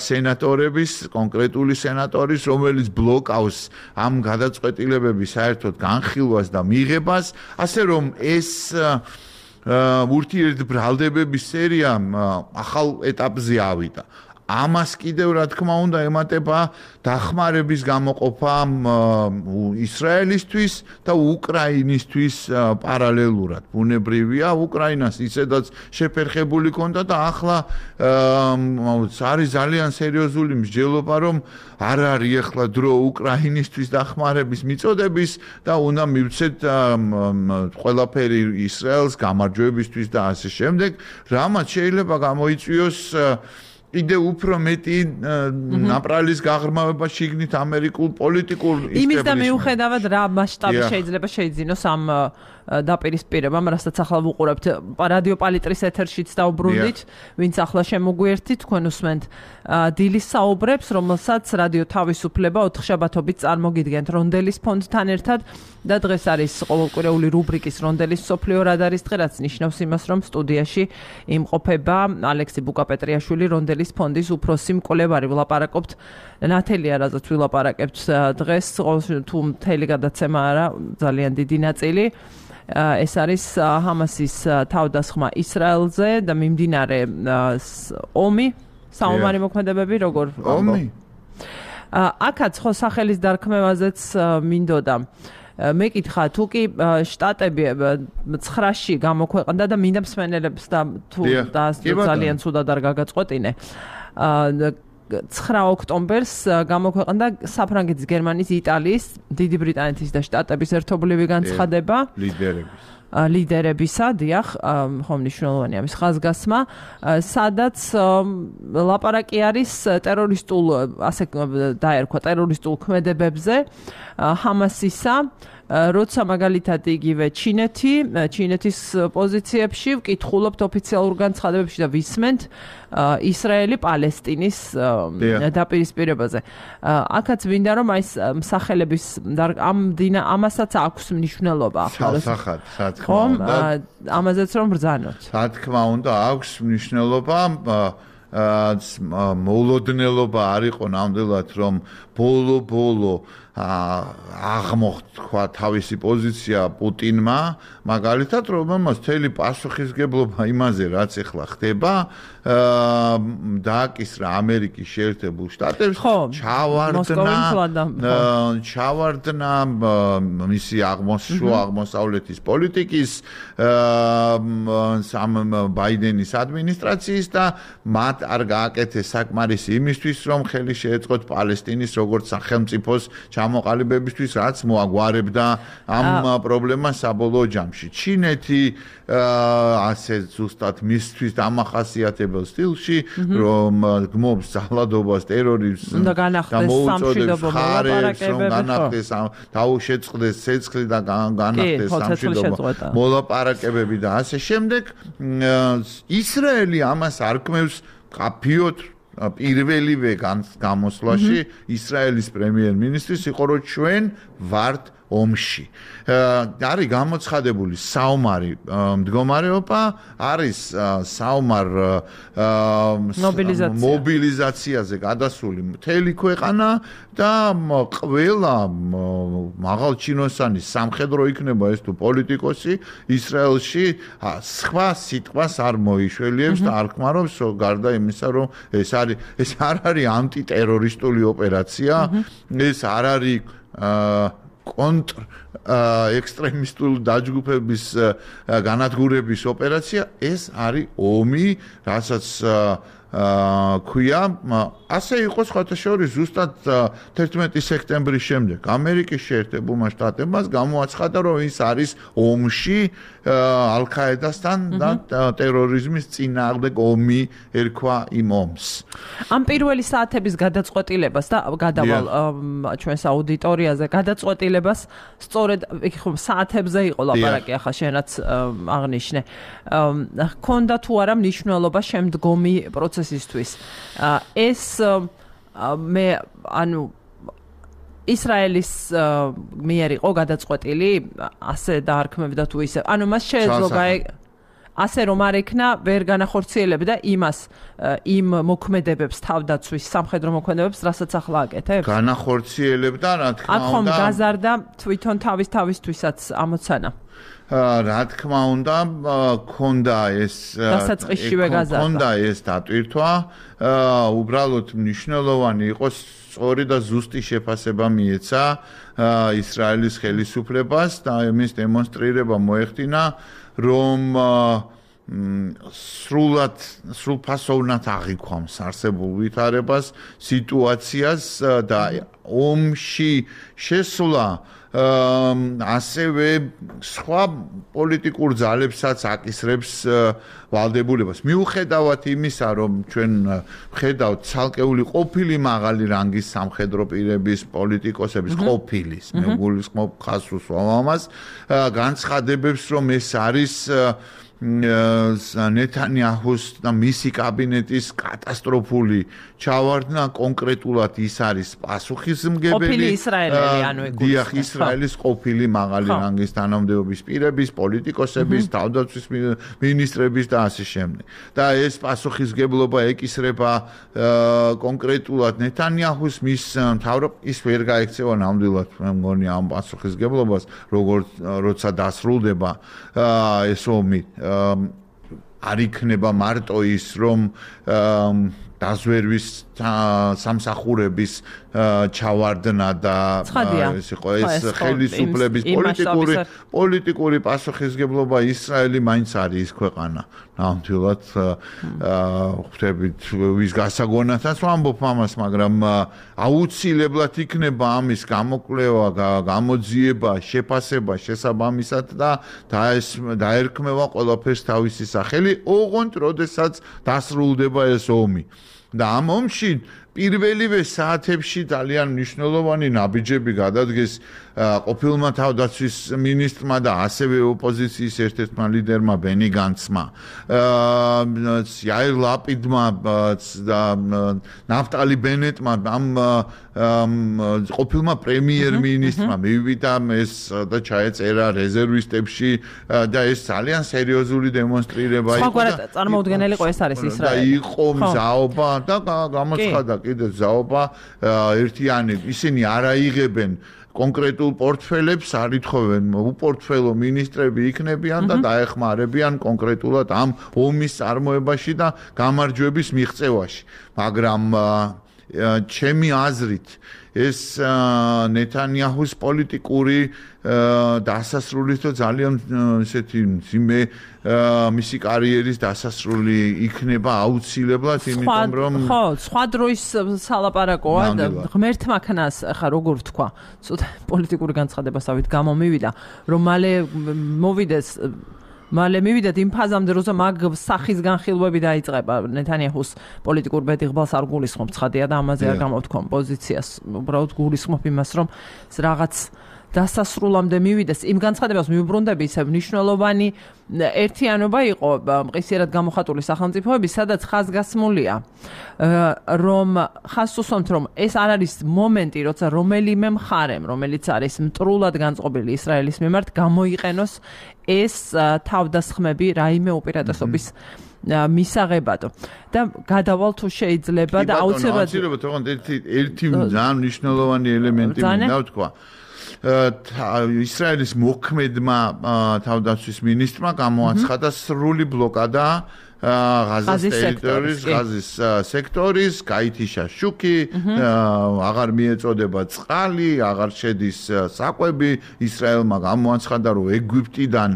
სენატორების, კონკრეტული სენატორის, რომელიც ბლოკავს ამ გადაწყვეტილებების საერთოდ განხილვას და მიღებას, ასე რომ ეს ურთიერთბრალდებების სერია ახალ ეტაპზე ავიდა. ამას კიდევ რა თქმა უნდა ემატება დახმარების გამოყოფა ისრაელისთვის და უკრაინისთვის პარალელურად. ბუნებრივია, უკრაინას ისედაც შეფერხებული ქონდა და ახლა არის ძალიან სერიოზული მსჯელობა, რომ არ არის ახლა დრო უკრაინისთვის დახმარების მიწოდების და უნდა მივცეთ ყველაფერი ისრაელს გამარჯვებისთვის და ასე შემდეგ, რამაც შეიძლება გამოიწვიოს კიდე უფრო მეტი ნაპრალის გაღრმავება შიგნით ამერიკულ პოლიტიკურ ისტაბლიშმენტში. იმის და მიუხედავად რა მასშტაბი შეიძლება შეიძინოს ამ დაპირისპირებამ, რასაც ახლა ვუყურებთ რადიო პალიტრის ეთერშიც დაუბრუნდით, ვინც ახლა შემოგვიერთით, თქვენ უსმენთ დილის საუბრებს, რომელსაც რადიო თავისუფლება ოთხშაბათობით წარმოგიდგენთ რონდელის ფონდთან ერთად და დღეს არის ყოველკვირეული რუბრიკის რონდელის მსოფლიო რადარის დღე, რაც ნიშნავს იმას, რომ სტუდიაში იმყოფება ალექსი ბუკაპეტრიაშვილი, რონდელის ფონდის უფროსი მკვლევარი. ვილაპარაკობთ ნათელია, რაზეც ვილაპარაკებთ დღეს, თუ მთელი გადაცემა არა, ძალიან დიდი ნაწილი. ეს არის ჰამასის თავდასხმა ისრაელზე და მიმდინარე ომი, საომარი მოქმედებები, როგორ ომი. აქაც ხო სახელის დარქმევაზეც მინდოდა. მეკითხა თუ კი შტატები ცხრაში გამოქვეყნდა და მინდა მსმენელებს და თუ ძალიან ცუდად არ გაგაწყვეტინე. ცხრა ოქტომბერს გამოქვეყნდა საფრანგეთის, გერმანიის, იტალიის, დიდი ბრიტანეთის და შტატების ერთობლივი განცხადება ლიდერების ლიდერებისა, დიახ, ხომ მნიშვნელოვანია ამის ხაზგასმა, სადაც ლაპარაკი არის ტერორისტულ, ასე დაერქვა, ტერორისტულ ქმედებებზე ჰამასისა, როცა მაგალითად იგივე ჩინეთი, ჩინეთის პოზიციებში ვკითხულობთ ოფიციალურ განცხადებებში და ვისმენთ ისრაელი პალესტინის დაპირისპირებაზე. აქაც მინდა რომ აი მსახელების ამ ამასაც აქვს მნიშვნელობა ახლა. სახად, რა თქმა უნდა. ამაზეც რომ ბრძანოთ. რა თქმა უნდა, აქვს მნიშვნელობა. მოულოდნელობა არ იყო ნამდვილად რომ ბოლო-ბოლო აღმოხდა თავისი პოზიცია პუტინმა, მაგალითად რომელმაც მთელი პასუხისგებლობა იმაზე რაც ახლა ხდება დააკისრა ამერიკის შეერთებულ შტატებს, ჩავარდნა ჩავარდნა მისი აღმოსშუა აღმოსავლეთის პოლიტიკის სამ ბაიდენის ადმინისტრაციის და მათ არ გააკეთეს საკმარისი იმისთვის რომ ხელი შეეწყოთ პალესტინის როგორც სახელმწიფოს ჩამოყალიბებისთვის, რაც მოაგვარებდა ამ პრობლემას საბოლოო ჯამში. ჩინეთი ასე ზუსტად მისთვის დამახასიათებელ სტილში, რომ გმობს ძალადობას, ტერორიზმს და მოუწოდებს ხარებს, რომ განახდეს, დაუშეწყდეს ცეცხლი და განახდეს სამშვიდობო მოლაპარაკებები და ასე შემდეგ. ისრაელი ამას არ კმევს კაფიოთ პირველივე გამოსვლაში ისრაელის პრემიერ-მინისტრის იყო რომ ჩვენ ვართ ომში. არის გამოცხადებული საომარი მდგომარეობა, არის საომარ მობილიზაციაზე გადასული მთელი ქვეყანა და ყველა მაღალჩინოსანი სამხედრო იქნება ეს თუ პოლიტიკოსი ისრაელში სხვა სიტყვას არ მოიშველიებს და არ ხმარობს გარდა იმისა რომ ეს არის ეს არ არის ანტიტერორისტული ოპერაცია, ეს არ არის კონტრ ექსტრემისტული დაჯგუფების განადგურების ოპერაცია, ეს არის ომი, რასაც ქვია, ასე იყო სხვათა შორის ზუსტად თერთმეტი სექტემბრის შემდეგ ამერიკის შეერთებულმა შტატებმა გამოაცხადა, რომ ის არის ომში ალ-ყაედასთან და ტერორიზმის წინააღმდეგ ომი ერქვა იმ ომს. ამ პირველი საათების გადაწყვეტილებას და გადავალ ჩვენს აუდიტორიაზე გადაწყვეტილებას სწორედ ხო საათებზე იყო ლაპარაკი, ახლა შენ რაც აღნიშნე. ქონდა თუ არა მნიშვნელობა შემდგომი პროცესისთვის. ეს მე ანუ ისრაელის მიერ იყო გადაწყვეტილი ასე დაარქმევდა თუ ისე. ანუ მას შეეძლო ასე რომ არ ექნა ვერ განახორციელებდა იმას იმ მოქმედებებს თავდაცვის სამხედრო მოქმედებებს, რასაც ახლა აკეთებს. განახორციელებდა, რა თქმა უნდა. აქ ხომ გაზარდა თვითონ თავის თავისთვისაც ამოცანა. რა თქმა უნდა, ქონდა ეს ქონდა ეს დატვირთვა, უბრალოდ მნიშვნელოვანი იყო სწორი და ზუსტი შეფასება მიეცა ისრაელის ხელისუფლებას და იმის დემონსტრირება მოეხდინა, რომ სრულად სრულფასოვნად აღიქვამს არსებულ ვითარებას, სიტუაციას და ომში შესვლა ასევე სხვა პოლიტიკურ ძალებსაც აკისრებს ვალდებულებას. მიუხედავად იმისა, რომ ჩვენ ვხედავთ ცალკეული ყოფილი მაღალი რანგის სამხედრო პირების, პოლიტიკოსების ყოფილის, მე გულისხმობ ხასუს ამას, განცხადებებს, რომ ეს არის ნეთანიაჰუს და მისი კაბინეტის კატასტროფული ჩავარდნა, კონკრეტულად ის არის პასუხისმგებელი ყოფილი ისრაელელი, ანუ დიახ, ისრაელის ყოფილი მაღალი რანგის თანამდებობის პირების, პოლიტიკოსების, თავდაცვის მინისტრების და ასე შემდეგ. და ეს პასუხისმგებლობა ეკისრება კონკრეტულად ნეთანიაჰუს, მის მთავრობ ის ვერ გაექცევა ნამდვილად, მე მგონი ამ პასუხისმგებლობას, როგორც როცა დასრულდება ეს ომი. არ იქნება მარტო ის, რომ დაზვერვის სამსახურების ჩავარდნა და ეს იყო ეს ხელისუფლების პოლიტიკური პოლიტიკური პასუხისმგებლობა. ისრაელი მაინც არის ის ქვეყანა, ნამდვილად ხვდებით ვის გასაგონათაც ვამბობ ამას, მაგრამ აუცილებლად იქნება ამის გამოკვლევა, გამოძიება, შეფასება შესაბამისად და დაერქმევა ყველაფერს თავისი სახელი, ოღონდ როდესაც დასრულდება ეს ომი. და ამ ომში პირველივე საათებში ძალიან მნიშვნელოვანი ნაბიჯები გადადგეს ყოფილმა თავდაცვის მინისტრმა და ასევე ოპოზიციის ერთ-ერთმა ლიდერმა ბენი განცმა, იაირ ლაპიდმა და ნაფტალი ბენეტმა, ამ ყოფილმა პრემიერ-მინისტრმა მივიდა ეს და ჩაეწერა რეზერვისტებში და ეს ძალიან სერიოზული დემონსტრირება იყო. სხვაგვარად წარმოუდგენელი იყო ეს არის ისრაელი. და იყო მზაობა და გამოცხადა კიდე ზაობა ერთიანი, ისინი არ აიღებენ კონკრეტულ პორტფელებს, არ ითხოვენ უპორტფელო მინისტრები იქნებიან და დაეხმარებიან კონკრეტულად ამ ომის წარმოებაში და გამარჯვების მიღწევაში. მაგრამ ჩემი აზრით ეს ნეთანიაჰუს პოლიტიკური დასასრულის და ძალიან ესეთი მძიმე მისი კარიერის დასასრული იქნება აუცილებლად, იმიტომ რომ ხო, სხვა დროის სალაპარაკოა და ღმერთმა ქნას, ახლა როგორ ვთქვა, ცოტა პოლიტიკური განცხადებასავით გამომივიდა, რომ მალე მოვიდეს მალე მივიდეთ იმ ფაზამდე, როცა მაგ სახის განხილვები დაიწყება ნეთანიაჰუს პოლიტიკურ ბედიღბალს არ გულისხმობ ცხადია და ამაზე არ გამოვთქვამ პოზიციას, უბრალოდ გულისხმობ იმას, რომ რაღაც დასასრულამდე მივიდეს. იმ განცხადებას მიუბრუნდები, ისევ მნიშვნელოვანი ერთიანობა იყო მყისიერად გამოხატული სახელმწიფოების, სადაც ხაზგასმულია, რომ ხაზს უსვამთ, რომ ეს არ არის მომენტი, როცა რომელიმე მხარემ, რომელიც არის მტრულად განწყობილი ისრაელის მიმართ, გამოიყენოს ეს თავდასხმები რაიმე უპირატესობის მისაღებადო. და გადავალ თუ შეიძლება და აუცილებლად აუცილებლად თქო ერთი ერთი ძალიან მნიშვნელოვანი ელემენტი მინდა ვთქვა. ისრაელის მოქმედმა თავდაცვის მინისტრმა გამოაცხადა სრული ბლოკადა ღაზის ტერიტორიის, ღაზის სექტორის, გაითიშა შუქი, აღარ მიეწოდება წყალი, აღარ შედის საკვები. ისრაელმა გამოაცხადა, რომ ეგვიპტიდან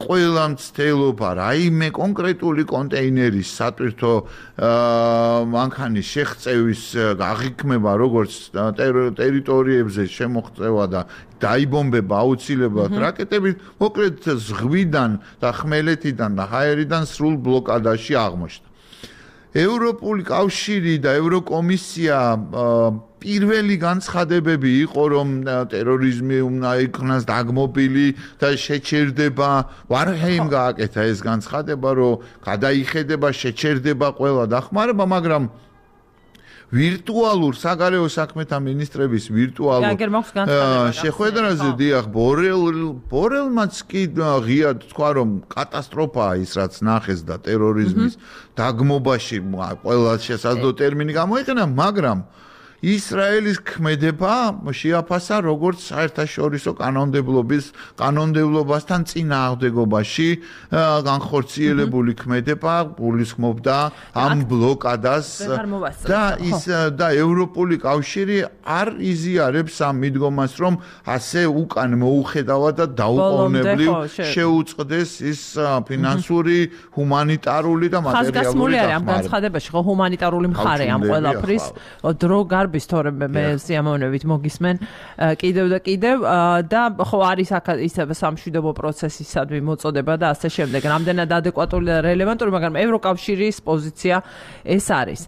ყველა მცდელობა, რაიმე კონკრეტული კონტეინერის სატვირთო მანქანის შეღწევის აღიქმება, როგორც ტერიტორიებზე შემოღწევა და დაიბომბება აუცილებლად რაკეტებით, მოკლედ ზღვიდან და ხმელეთიდან და ჰაერიდან სრულ ბლოკადაში აღმოჩნდა. ევროპული კავშირი და ევროკომისია პირველი განცხადებები იყო, რომ ტერორიზმი უნდა იქნას დაგმობილი და შეჩერდება. ვარჰეიმ გააკეთა ეს განცხადება, რომ გადაიხედება, შეჩერდება ყველა დახმარება, მაგრამ ვირტუალურ საგარეო საქმეთა მინისტრების ვირტუალურ შეხვედრაზე დიახ ბორელ ბორელმაც კი ღიად თქვა, რომ კატასტროფაა ის რაც ნახეს და ტერორიზმის დაგმობაში ყველა შესაძლო ტერმინი გამოიყენა, მაგრამ ისრაელის ქმედება შეაფასა როგორც საერთაშორისო კანონმდებლობის კანონმდებლობასთან წინააღმდეგობაში განხორციელებული ქმედება გულისხმობდა ამ ბლოკადას და ის და ევროპული კავშირი არ იზიარებს ამ მიდგომას რომ ასე უკან მოუხედავად და დაუყოვნებლივ შეუწყდეს ის ფინანსური, ჰუმანიტარული და მატერიალური დახმარება. ამ განცხადებაში ხო ჰუმანიტარული მხარე ამ ყველაფრის დრო გარბის თორემ მე სიამოვნებით მოგისმენ კიდევ და კიდევ და ხო არის აქ ისე სამშვიდობო პროცესისადმი მოწოდება და ასე შემდეგ. რამდენად ადეკვატური და რელევანტური, მაგრამ ევროკავშირის პოზიცია ეს არის.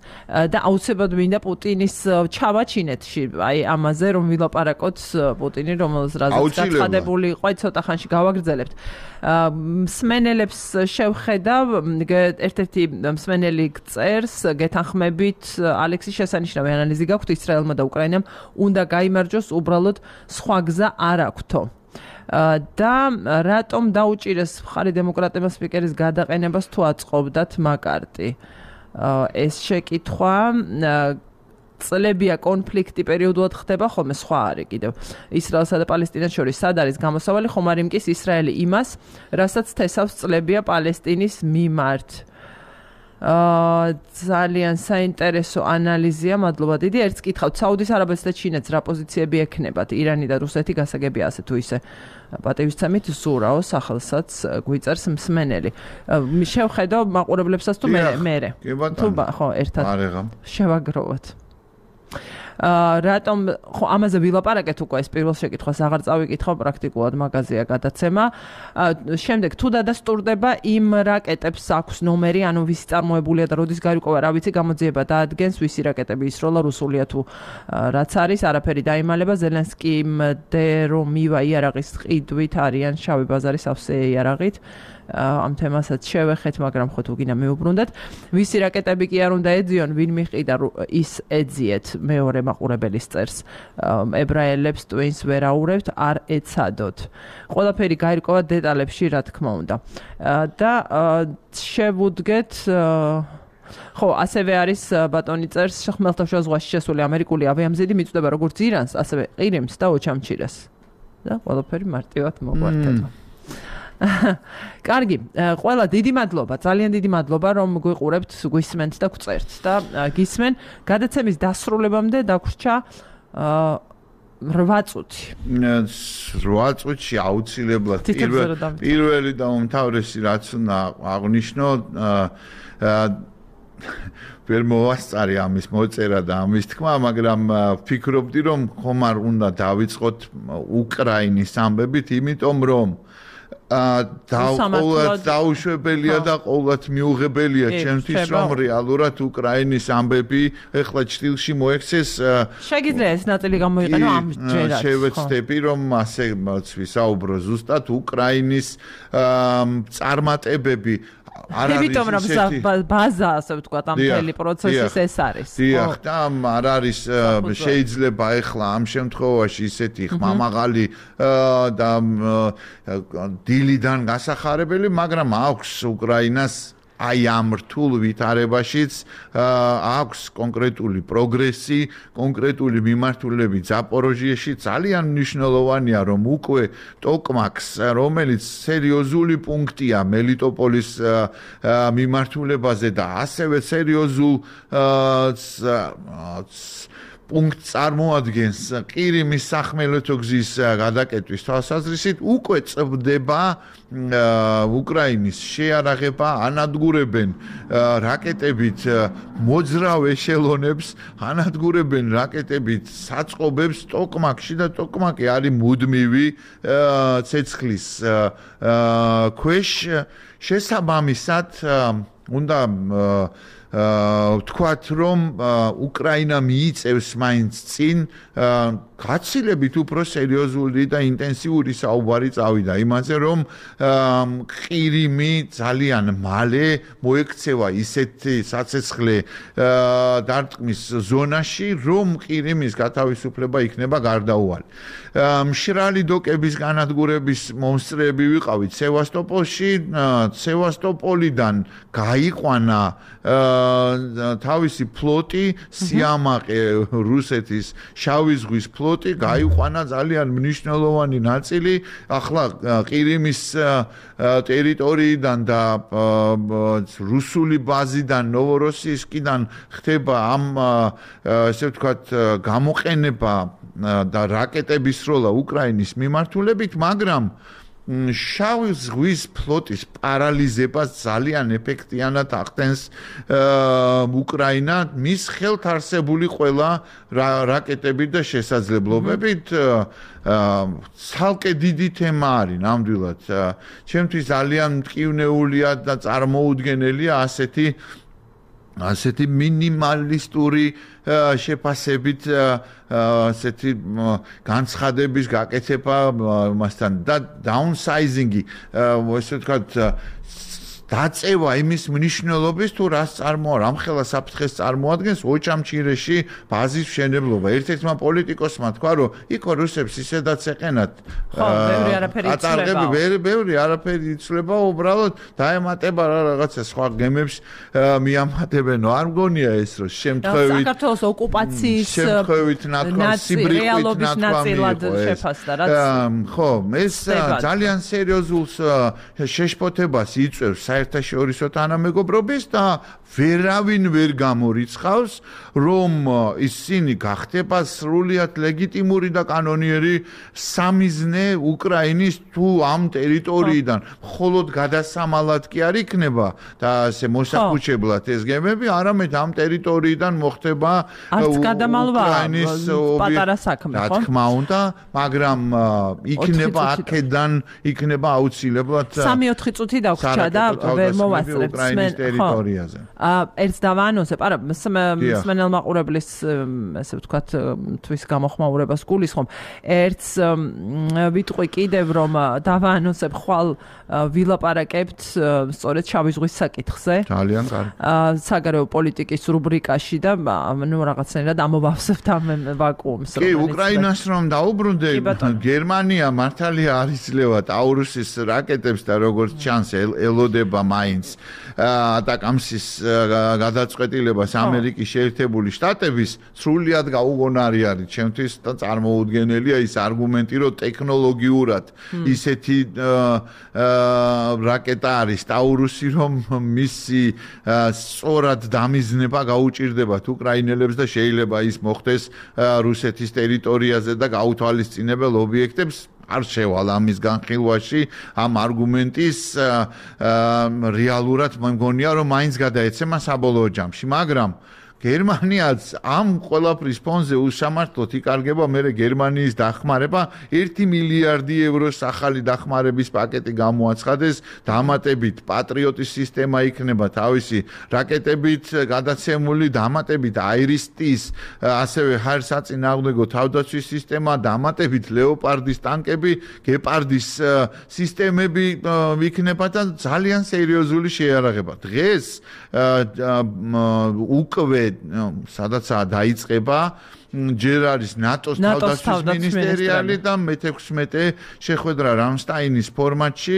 და აუცილებლად მინდა პუტინის ჩავაჩინეთ აი ამაზე რომ ვილაპარაკოთ პუტინი რომელს რაზეც გაცხადებული იყო, ცოტა ხანში გავაგრძელებთ. მსმენელებს შევხედავ ერთ-ერთი მსმენელი წერს გეთანხმებით ალექსი შესანიშნავი ანალიზი გაქვთ ისრაელმა და უკრაინამ უნდა გაიმარჯვოს უბრალოდ სხვა გზა არ აქვთო და რატომ დაუჭირეს მხარი დემოკრატებმა სპიკერის გადაყენებას თუ აწყობდათ მაკარტი ეს შეკითხვა წლებია კონფლიქტი პერიოდულად ხდება ხოლმე სხვა არის კიდევ ისრაელსა და პალესტინას შორის სად არის გამოსავალი ხომ არ იმკის ისრაელი იმას რასაც თესავს წლებია პალესტინის მიმართ აა ძალიან საინტერესო ანალიზია მადლობა დიდი ერთს კითხავთ საუდის არაბეთს და ჩინეთს რა პოზიციები ექნებათ ირანი და რუსეთი გასაგებია ასე თუ ისე პატივისცემით ზურაო სახელსაც გვიწერს მსმენელი შევხედო მაყურებლებსაც თუ მე მე თუ ხო ერთად შევაგროვოთ აა რატომ ხო ამაზე ვილაპარაკეთ უკვე ეს პირველ შეკითხვას აღარ წავიკითხო პრაქტიკულად მაგაზია გადაცემა შემდეგ თუ დადასტურდება იმ რაკეტებს აქვს ნომერი ანუ ვისი წარმოებულია და როდის გარიკვევა რა ვიცი გამოძიება დაადგენს ვისი რაკეტები ისროლა რუსულია თუ რაც არის არაფერი დაიმალება ზელენსკიმდე რომ მივა იარაღის ყიდვით არიან შავი ბაზარის ავსე იარაღით ამ თემასაც შევეხეთ, მაგრამ ხო თუ გინდა მეუბრუნდეთ. ვისი რაკეტები კი არ უნდა ეძიონ, ვინ მიყიდა ის ეძიეთ მეორე მაყურებელის წერს. ებრაელებს ტვინს ვერაურებთ, არ ეცადოთ. ყველაფერი გაირკვევა დეტალებში, რა თქმა უნდა. და შევუდგეთ ხო, ასევე არის ბატონი წერს ხმელთაშუა ზღვაში შესული ამერიკული ავიამზიდი მიწვდება როგორც ირანს, ასევე ყირიმს და ოჩამჩირეს. და ყველაფერი მარტივად მოგვართება. კარგი, ყველა დიდი მადლობა, ძალიან დიდი მადლობა რომ გვიყურებთ, გვისმენთ და გვწერთ და გისმენ გადაცემის დასრულებამდე დაგვრჩა რვა წუთი. რვა წუთში აუცილებლად პირველი და უმთავრესი რაც უნდა აღნიშნო ვერ მოვასწარი ამის მოწერა და ამის თქმა, მაგრამ ვფიქრობდი რომ ხომ არ უნდა დავიწყოთ უკრაინის ამბებით, იმიტომ რომ და დაუშვებელია და ყოველთ მიუღებელია ჩემთვის რომ რეალურად უკრაინის ამბები ეხლა ჭრილში მოექცეს შეგიძლია ეს ნაწილი გამოიყენო ამ ჯერაც შევეცდები რომ ასე ვისაუბრო ზუსტად უკრაინის წარმატებები არ არის იმიტომ რომ ბაზა ასე ვთქვათ ამ მთელი პროცესის ეს არის დიახ და არ არის შეიძლება ეხლა ამ შემთხვევაში ისეთი ხმამაღალი და დილიდან გასახარებელი მაგრამ აქვს უკრაინას აი ამ რთულ ვითარებაშიც აქვს კონკრეტული პროგრესი, კონკრეტული მიმართულები ზაპოროჟიეში ძალიან მნიშვნელოვანია რომ უკვე ტოკმაკს, რომელიც სერიოზული პუნქტია მელიტოპოლის მიმართულებაზე და ასევე სერიოზულ პუნქტს წარმოადგენს ყირიმის სახმელეთო გზის გადაკეტვის თვალსაზრისით უკვე წვდება უკრაინის შეარაღება ანადგურებენ რაკეტებით მოძრავ ეშელონებს ანადგურებენ რაკეტებით საწყობებს ტოკმაკში და ტოკმაკი არის მუდმივი ცეცხლის ქვეშ შესაბამისად უნდა ვთქვათ რომ უკრაინა მიიწევს მაინც წინ გაცილებით უფრო სერიოზული და ინტენსიური საუბარი წავიდა იმაზე, რომ ყირიმი ძალიან მალე მოექცევა ისეთი საცეცხლე დარტყმის ზონაში, რომ ყირიმის გათავისუფლება იქნება გარდაუვალი. მშრალი დოკების განადგურების მომსწრეები ვიყავით სევასტოპოლში, სევასტოპოლიდან გაიყვანა თავისი ფლოტი, სიამაყე რუსეთის შავი ზღვის ფლოტი, გაიყვანა ძალიან მნიშვნელოვანი ნაწილი, ახლა ყირიმის ტერიტორიიდან და რუსული ბაზიდან ნოვოროსიისკიდან ხდება ამ ესე ვთქვათ გამოყენება და რაკეტების სროლა უკრაინის მიმართულებით, მაგრამ შავი ზღვის ფლოტის პარალიზებას ძალიან ეფექტიანად ახდენს უკრაინა მის ხელთ არსებული ყველა რაკეტებით და შესაძლებლობებით. ცალკე დიდი თემა არის ნამდვილად. ჩემთვის ძალიან მტკივნეულია და წარმოუდგენელია ასეთი ასეთი მინიმალისტური შეფასებით ასეთი განცხადების გაკეთება მასთან და downsizing-ი ესე ვთქვათ დაწევა იმის მნიშვნელობის თუ რას წარმოა რამხელა საფრთხეს წარმოადგენს ოჩამჩირეში ბაზის მშენებლობა. ერთ-ერთმა პოლიტიკოსმა თქვა, რომ იქ რუსებს ისედაც ეყენათ. ხო, ბევრი არაფერი იცვლება. ბევრი არაფერი იცვლება, უბრალოდ დაემატება რა რაღაცა სხვა გემებს მიამატებენ. არ მგონია ეს რომ შემთხვევით საქართველოს ოკუპაციის შემთხვევით ნათქვამ სიბრიყვით ნაწილად შეფასდა რაც ხო, ეს ძალიან სერიოზულ შეშფოთებას იწვევს საერთაშორისო თანამეგობრობის და ვერავინ ვერ გამორიცხავს, რომ ისინი გახდება სრულიად ლეგიტიმური და კანონიერი სამიზნე უკრაინის თუ ამ ტერიტორიიდან. მხოლოდ გადასამალად კი არ იქნება და ასე მოსახუჩებლად ეს გემები, არამედ ამ ტერიტორიიდან მოხდება უკრაინის პატარა საქმე, ხო? რა თქმა უნდა, მაგრამ იქნება აქედან იქნება აუცილებლად სამი-ოთხი წუთი დაგვრჩა და ვერ მოვასწრებთ უკრაინის ტერიტორიაზე. ერთს დავაანონსებ, არა, მსმენელ მაყურებლის ესე ვთქვათ თვის გამოხმაურებას გულისხმობ. ერთს ვიტყვი კიდევ რომ დავაანონსებ ხვალ ვილაპარაკებთ სწორედ შავი ზღვის საკითხზე. ძალიან კარგი. საგარეო პოლიტიკის რუბრიკაში და ნუ რაღაცნაირად ამოვავსებთ ამ ვაკუუმს. კი, უკრაინას რომ დაუბრუნდე, გერმანია მართალია არ იძლევა ტაურუსის რაკეტებს და როგორც ჩანს ელოდება მაინც ატაკამსის გადაწყვეტილებას ამერიკის შეერთებული შტატების სრულიად გაუგონარი არის ჩემთვის და წარმოუდგენელია ის არგუმენტი, რომ ტექნოლოგიურად ისეთი რაკეტა არის ტაურუსი, რომ მისი სწორად დამიზნება გაუჭირდებათ უკრაინელებს და შეიძლება ის მოხდეს რუსეთის ტერიტორიაზე და გაუთვალისწინებელ ობიექტებს არ შევალ ამის განხილვაში ამ არგუმენტის რეალურად მგონია რომ მაინც გადაეცემა საბოლოო ჯამში, მაგრამ გერმანიაც ამ ყველაფრის ფონზე უსამართლოდ იკარგება მერე გერმანიის დახმარება ერთი მილიარდი ევროს ახალი დახმარების პაკეტი გამოაცხადეს დამატებით პატრიოტის სისტემა იქნება თავისი რაკეტებით გადაცემული დამატებით აირისტის ასევე ჰაერსაწინააღმდეგო თავდაცვის სისტემა დამატებით ლეოპარდის ტანკები გეპარდის სისტემები იქნება და ძალიან სერიოზული შეიარაღება დღეს უკვე სადაცაა დაიწყება ჯერ არის ნატოს თავდაცვის მინისტერიალი და მეთექვსმეტე შეხვედრა რამსტაინის ფორმატში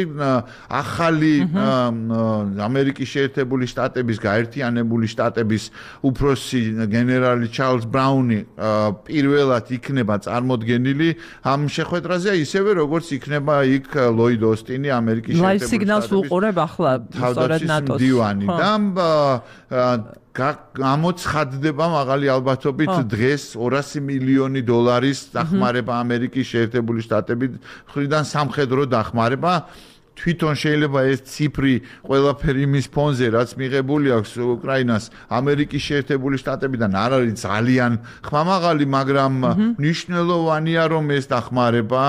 ახალი ამერიკის შეერთებული შტატების გაერთიანებული შტატების უფროსი გენერალი ჩარლზ ბრაუნი პირველად იქნება წარმოდგენილი ამ შეხვედრაზე ისევე როგორც იქნება იქ ლოიდ ოსტინი ამერიკის შეერთებული შტატების სიგნალს უყურებ ახლა სწორედ ნატოს მდივანი და გამოცხადდება მაღალი ალბათობით დღეს ორასი მილიონი დოლარის დახმარება ამერიკის შეერთებული შტატების მხრიდან სამხედრო დახმარება თვითონ შეიძლება ეს ციფრი ყველაფერი იმის ფონზე რაც მიღებული აქვს უკრაინას ამერიკის შეერთებული შტატებიდან არ არის ძალიან ხმამაღალი, მაგრამ მნიშვნელოვანია რომ ეს დახმარება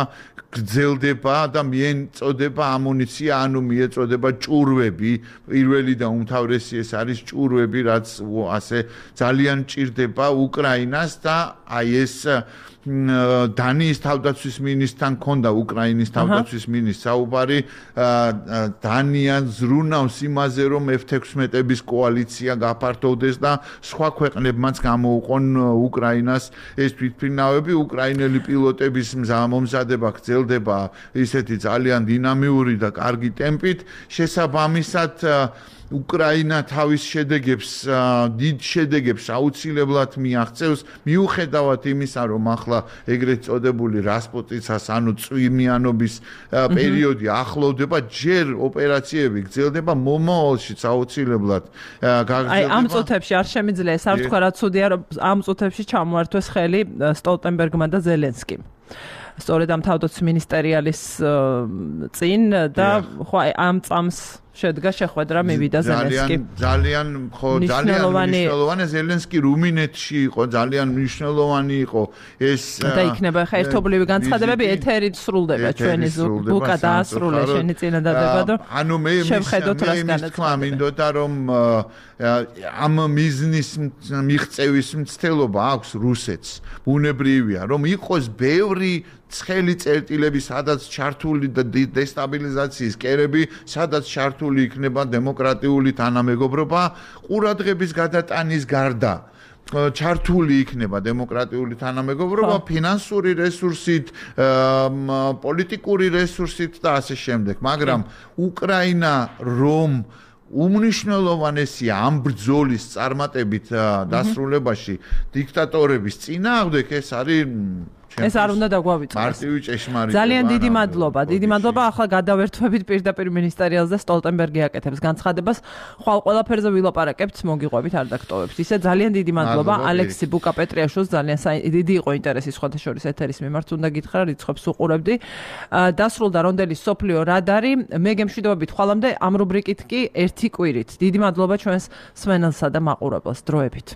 გრძელდება და მიეწოდება ამუნიცია, ანუ მიეწოდება ჭურვები, პირველი და უმთავრესი ეს არის ჭურვები, რაც ასე ძალიან ჭირდება უკრაინას და აი ეს დანიის თავდაცვის მინისტრთან ქონდა უკრაინის თავდაცვის მინისტრს საუბარი, დანია ზრუნავს იმაზე, რომ ეფ თექვსმეტების კოალიცია გაფართოვდეს და სხვა ქვეყნებმაც გამოუყონ უკრაინას ეს თვითმფრინავები. უკრაინელი პილოტების მომზადება გრძელდება ისეთი ძალიან დინამიური და კარგი ტემპით. შესაბამისად უკრაინა თავის შედეგებს, დიდ შედეგებს აუცილებლად მიაღწევს, მიუხედავად იმისა, რომ ახლა ეგრეთ წოდებული რასპუტიცას, ანუ წვიმიანობის პერიოდი ახლოვდება, ჯერ ოპერაციები გრძელდება, მომავალშიც აუცილებლად გაგრძელდება. აი, ამ წუთებში არ შემიძლია ეს არ თქვა, რა ცუდია, რომ ამ წუთებში ჩამოართვეს ხელი სტოლტენბერგმა და ზელენსკიმ. სწორედ ამ თავდაცვის მინისტერიალის წინ და ხო ამ წამს შედგა შეხვედრა მივიდა ზელენსკი. ძალიან ხო ძალიან მნიშვნელოვანი ზელენსკი რუმინეთში იყო, ძალიან მნიშვნელოვანი იყო ეს და იქნება ხა ერთობლივი განცხადებები ეთერით სრულდება ჩვენი ბუკა დაასრულე შენი წინადადება და ანუ მე მე თქვა მინდოდა რომ ამ მიზნის მიღწევის მცდელობა აქვს რუსეთს. ბუნებრივია რომ იყოს ბევრი ცხელი წერტილები, სადაც ჩართული და დესტაბილიზაციის კერები, სადაც ჩართული იქნება დემოკრატიული თანამეგობრობა, ყურადღების გადატანის გარდა ჩართული იქნება დემოკრატიული თანამეგობრობა, ფინანსური რესურსით, პოლიტიკური რესურსით და ასე შემდეგ. მაგრამ უკრაინა რომ უმნიშვნელოვანესია ამ ბრძოლის წარმატებით დასრულებაში დიქტატორების წინააღმდეგ, ეს არის ეს არ უნდა დაგვავიწყოს. მარტივი ჭეშმარიტება. ძალიან დიდი მადლობა. დიდი მადლობა. ახლა გადავერთვებით პირდაპირ მინისტერიალს და სტოლტენბერგი აკეთებს განცხადებას. ხვალ ყველაფერზე ვილაპარაკებთ, მოგიყვებით, არ დაგტოვებთ. ისე ძალიან დიდი მადლობა ალექსი ბუკა-პეტრიაშვილს, ძალიან დიდი იყო ინტერესი სხვათა შორის ეთერის მიმართ, უნდა გითხრა, რიცხვებს უყურებდი. დასრულდა რონდელის სოფლიო რადარი. მე გემშვიდობებით ხვალამდე ამ რუბრიკით კი ერთი კვირით. დიდი მადლობა ჩვენს სვენელსა და მაყურებელს. დროებით.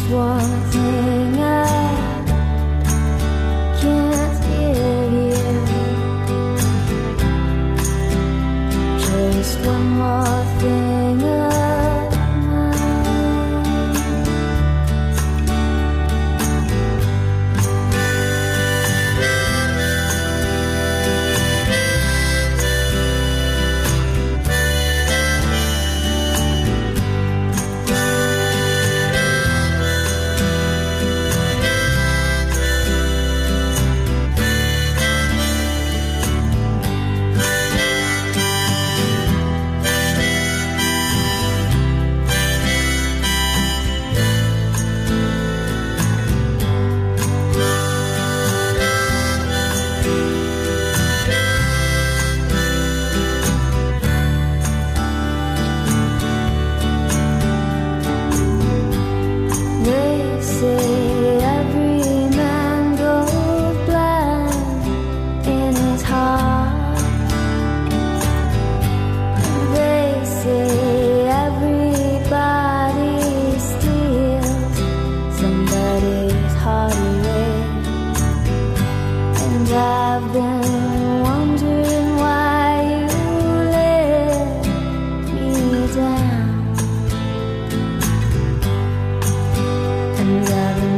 One thing I can't give you.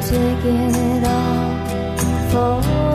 taking it all for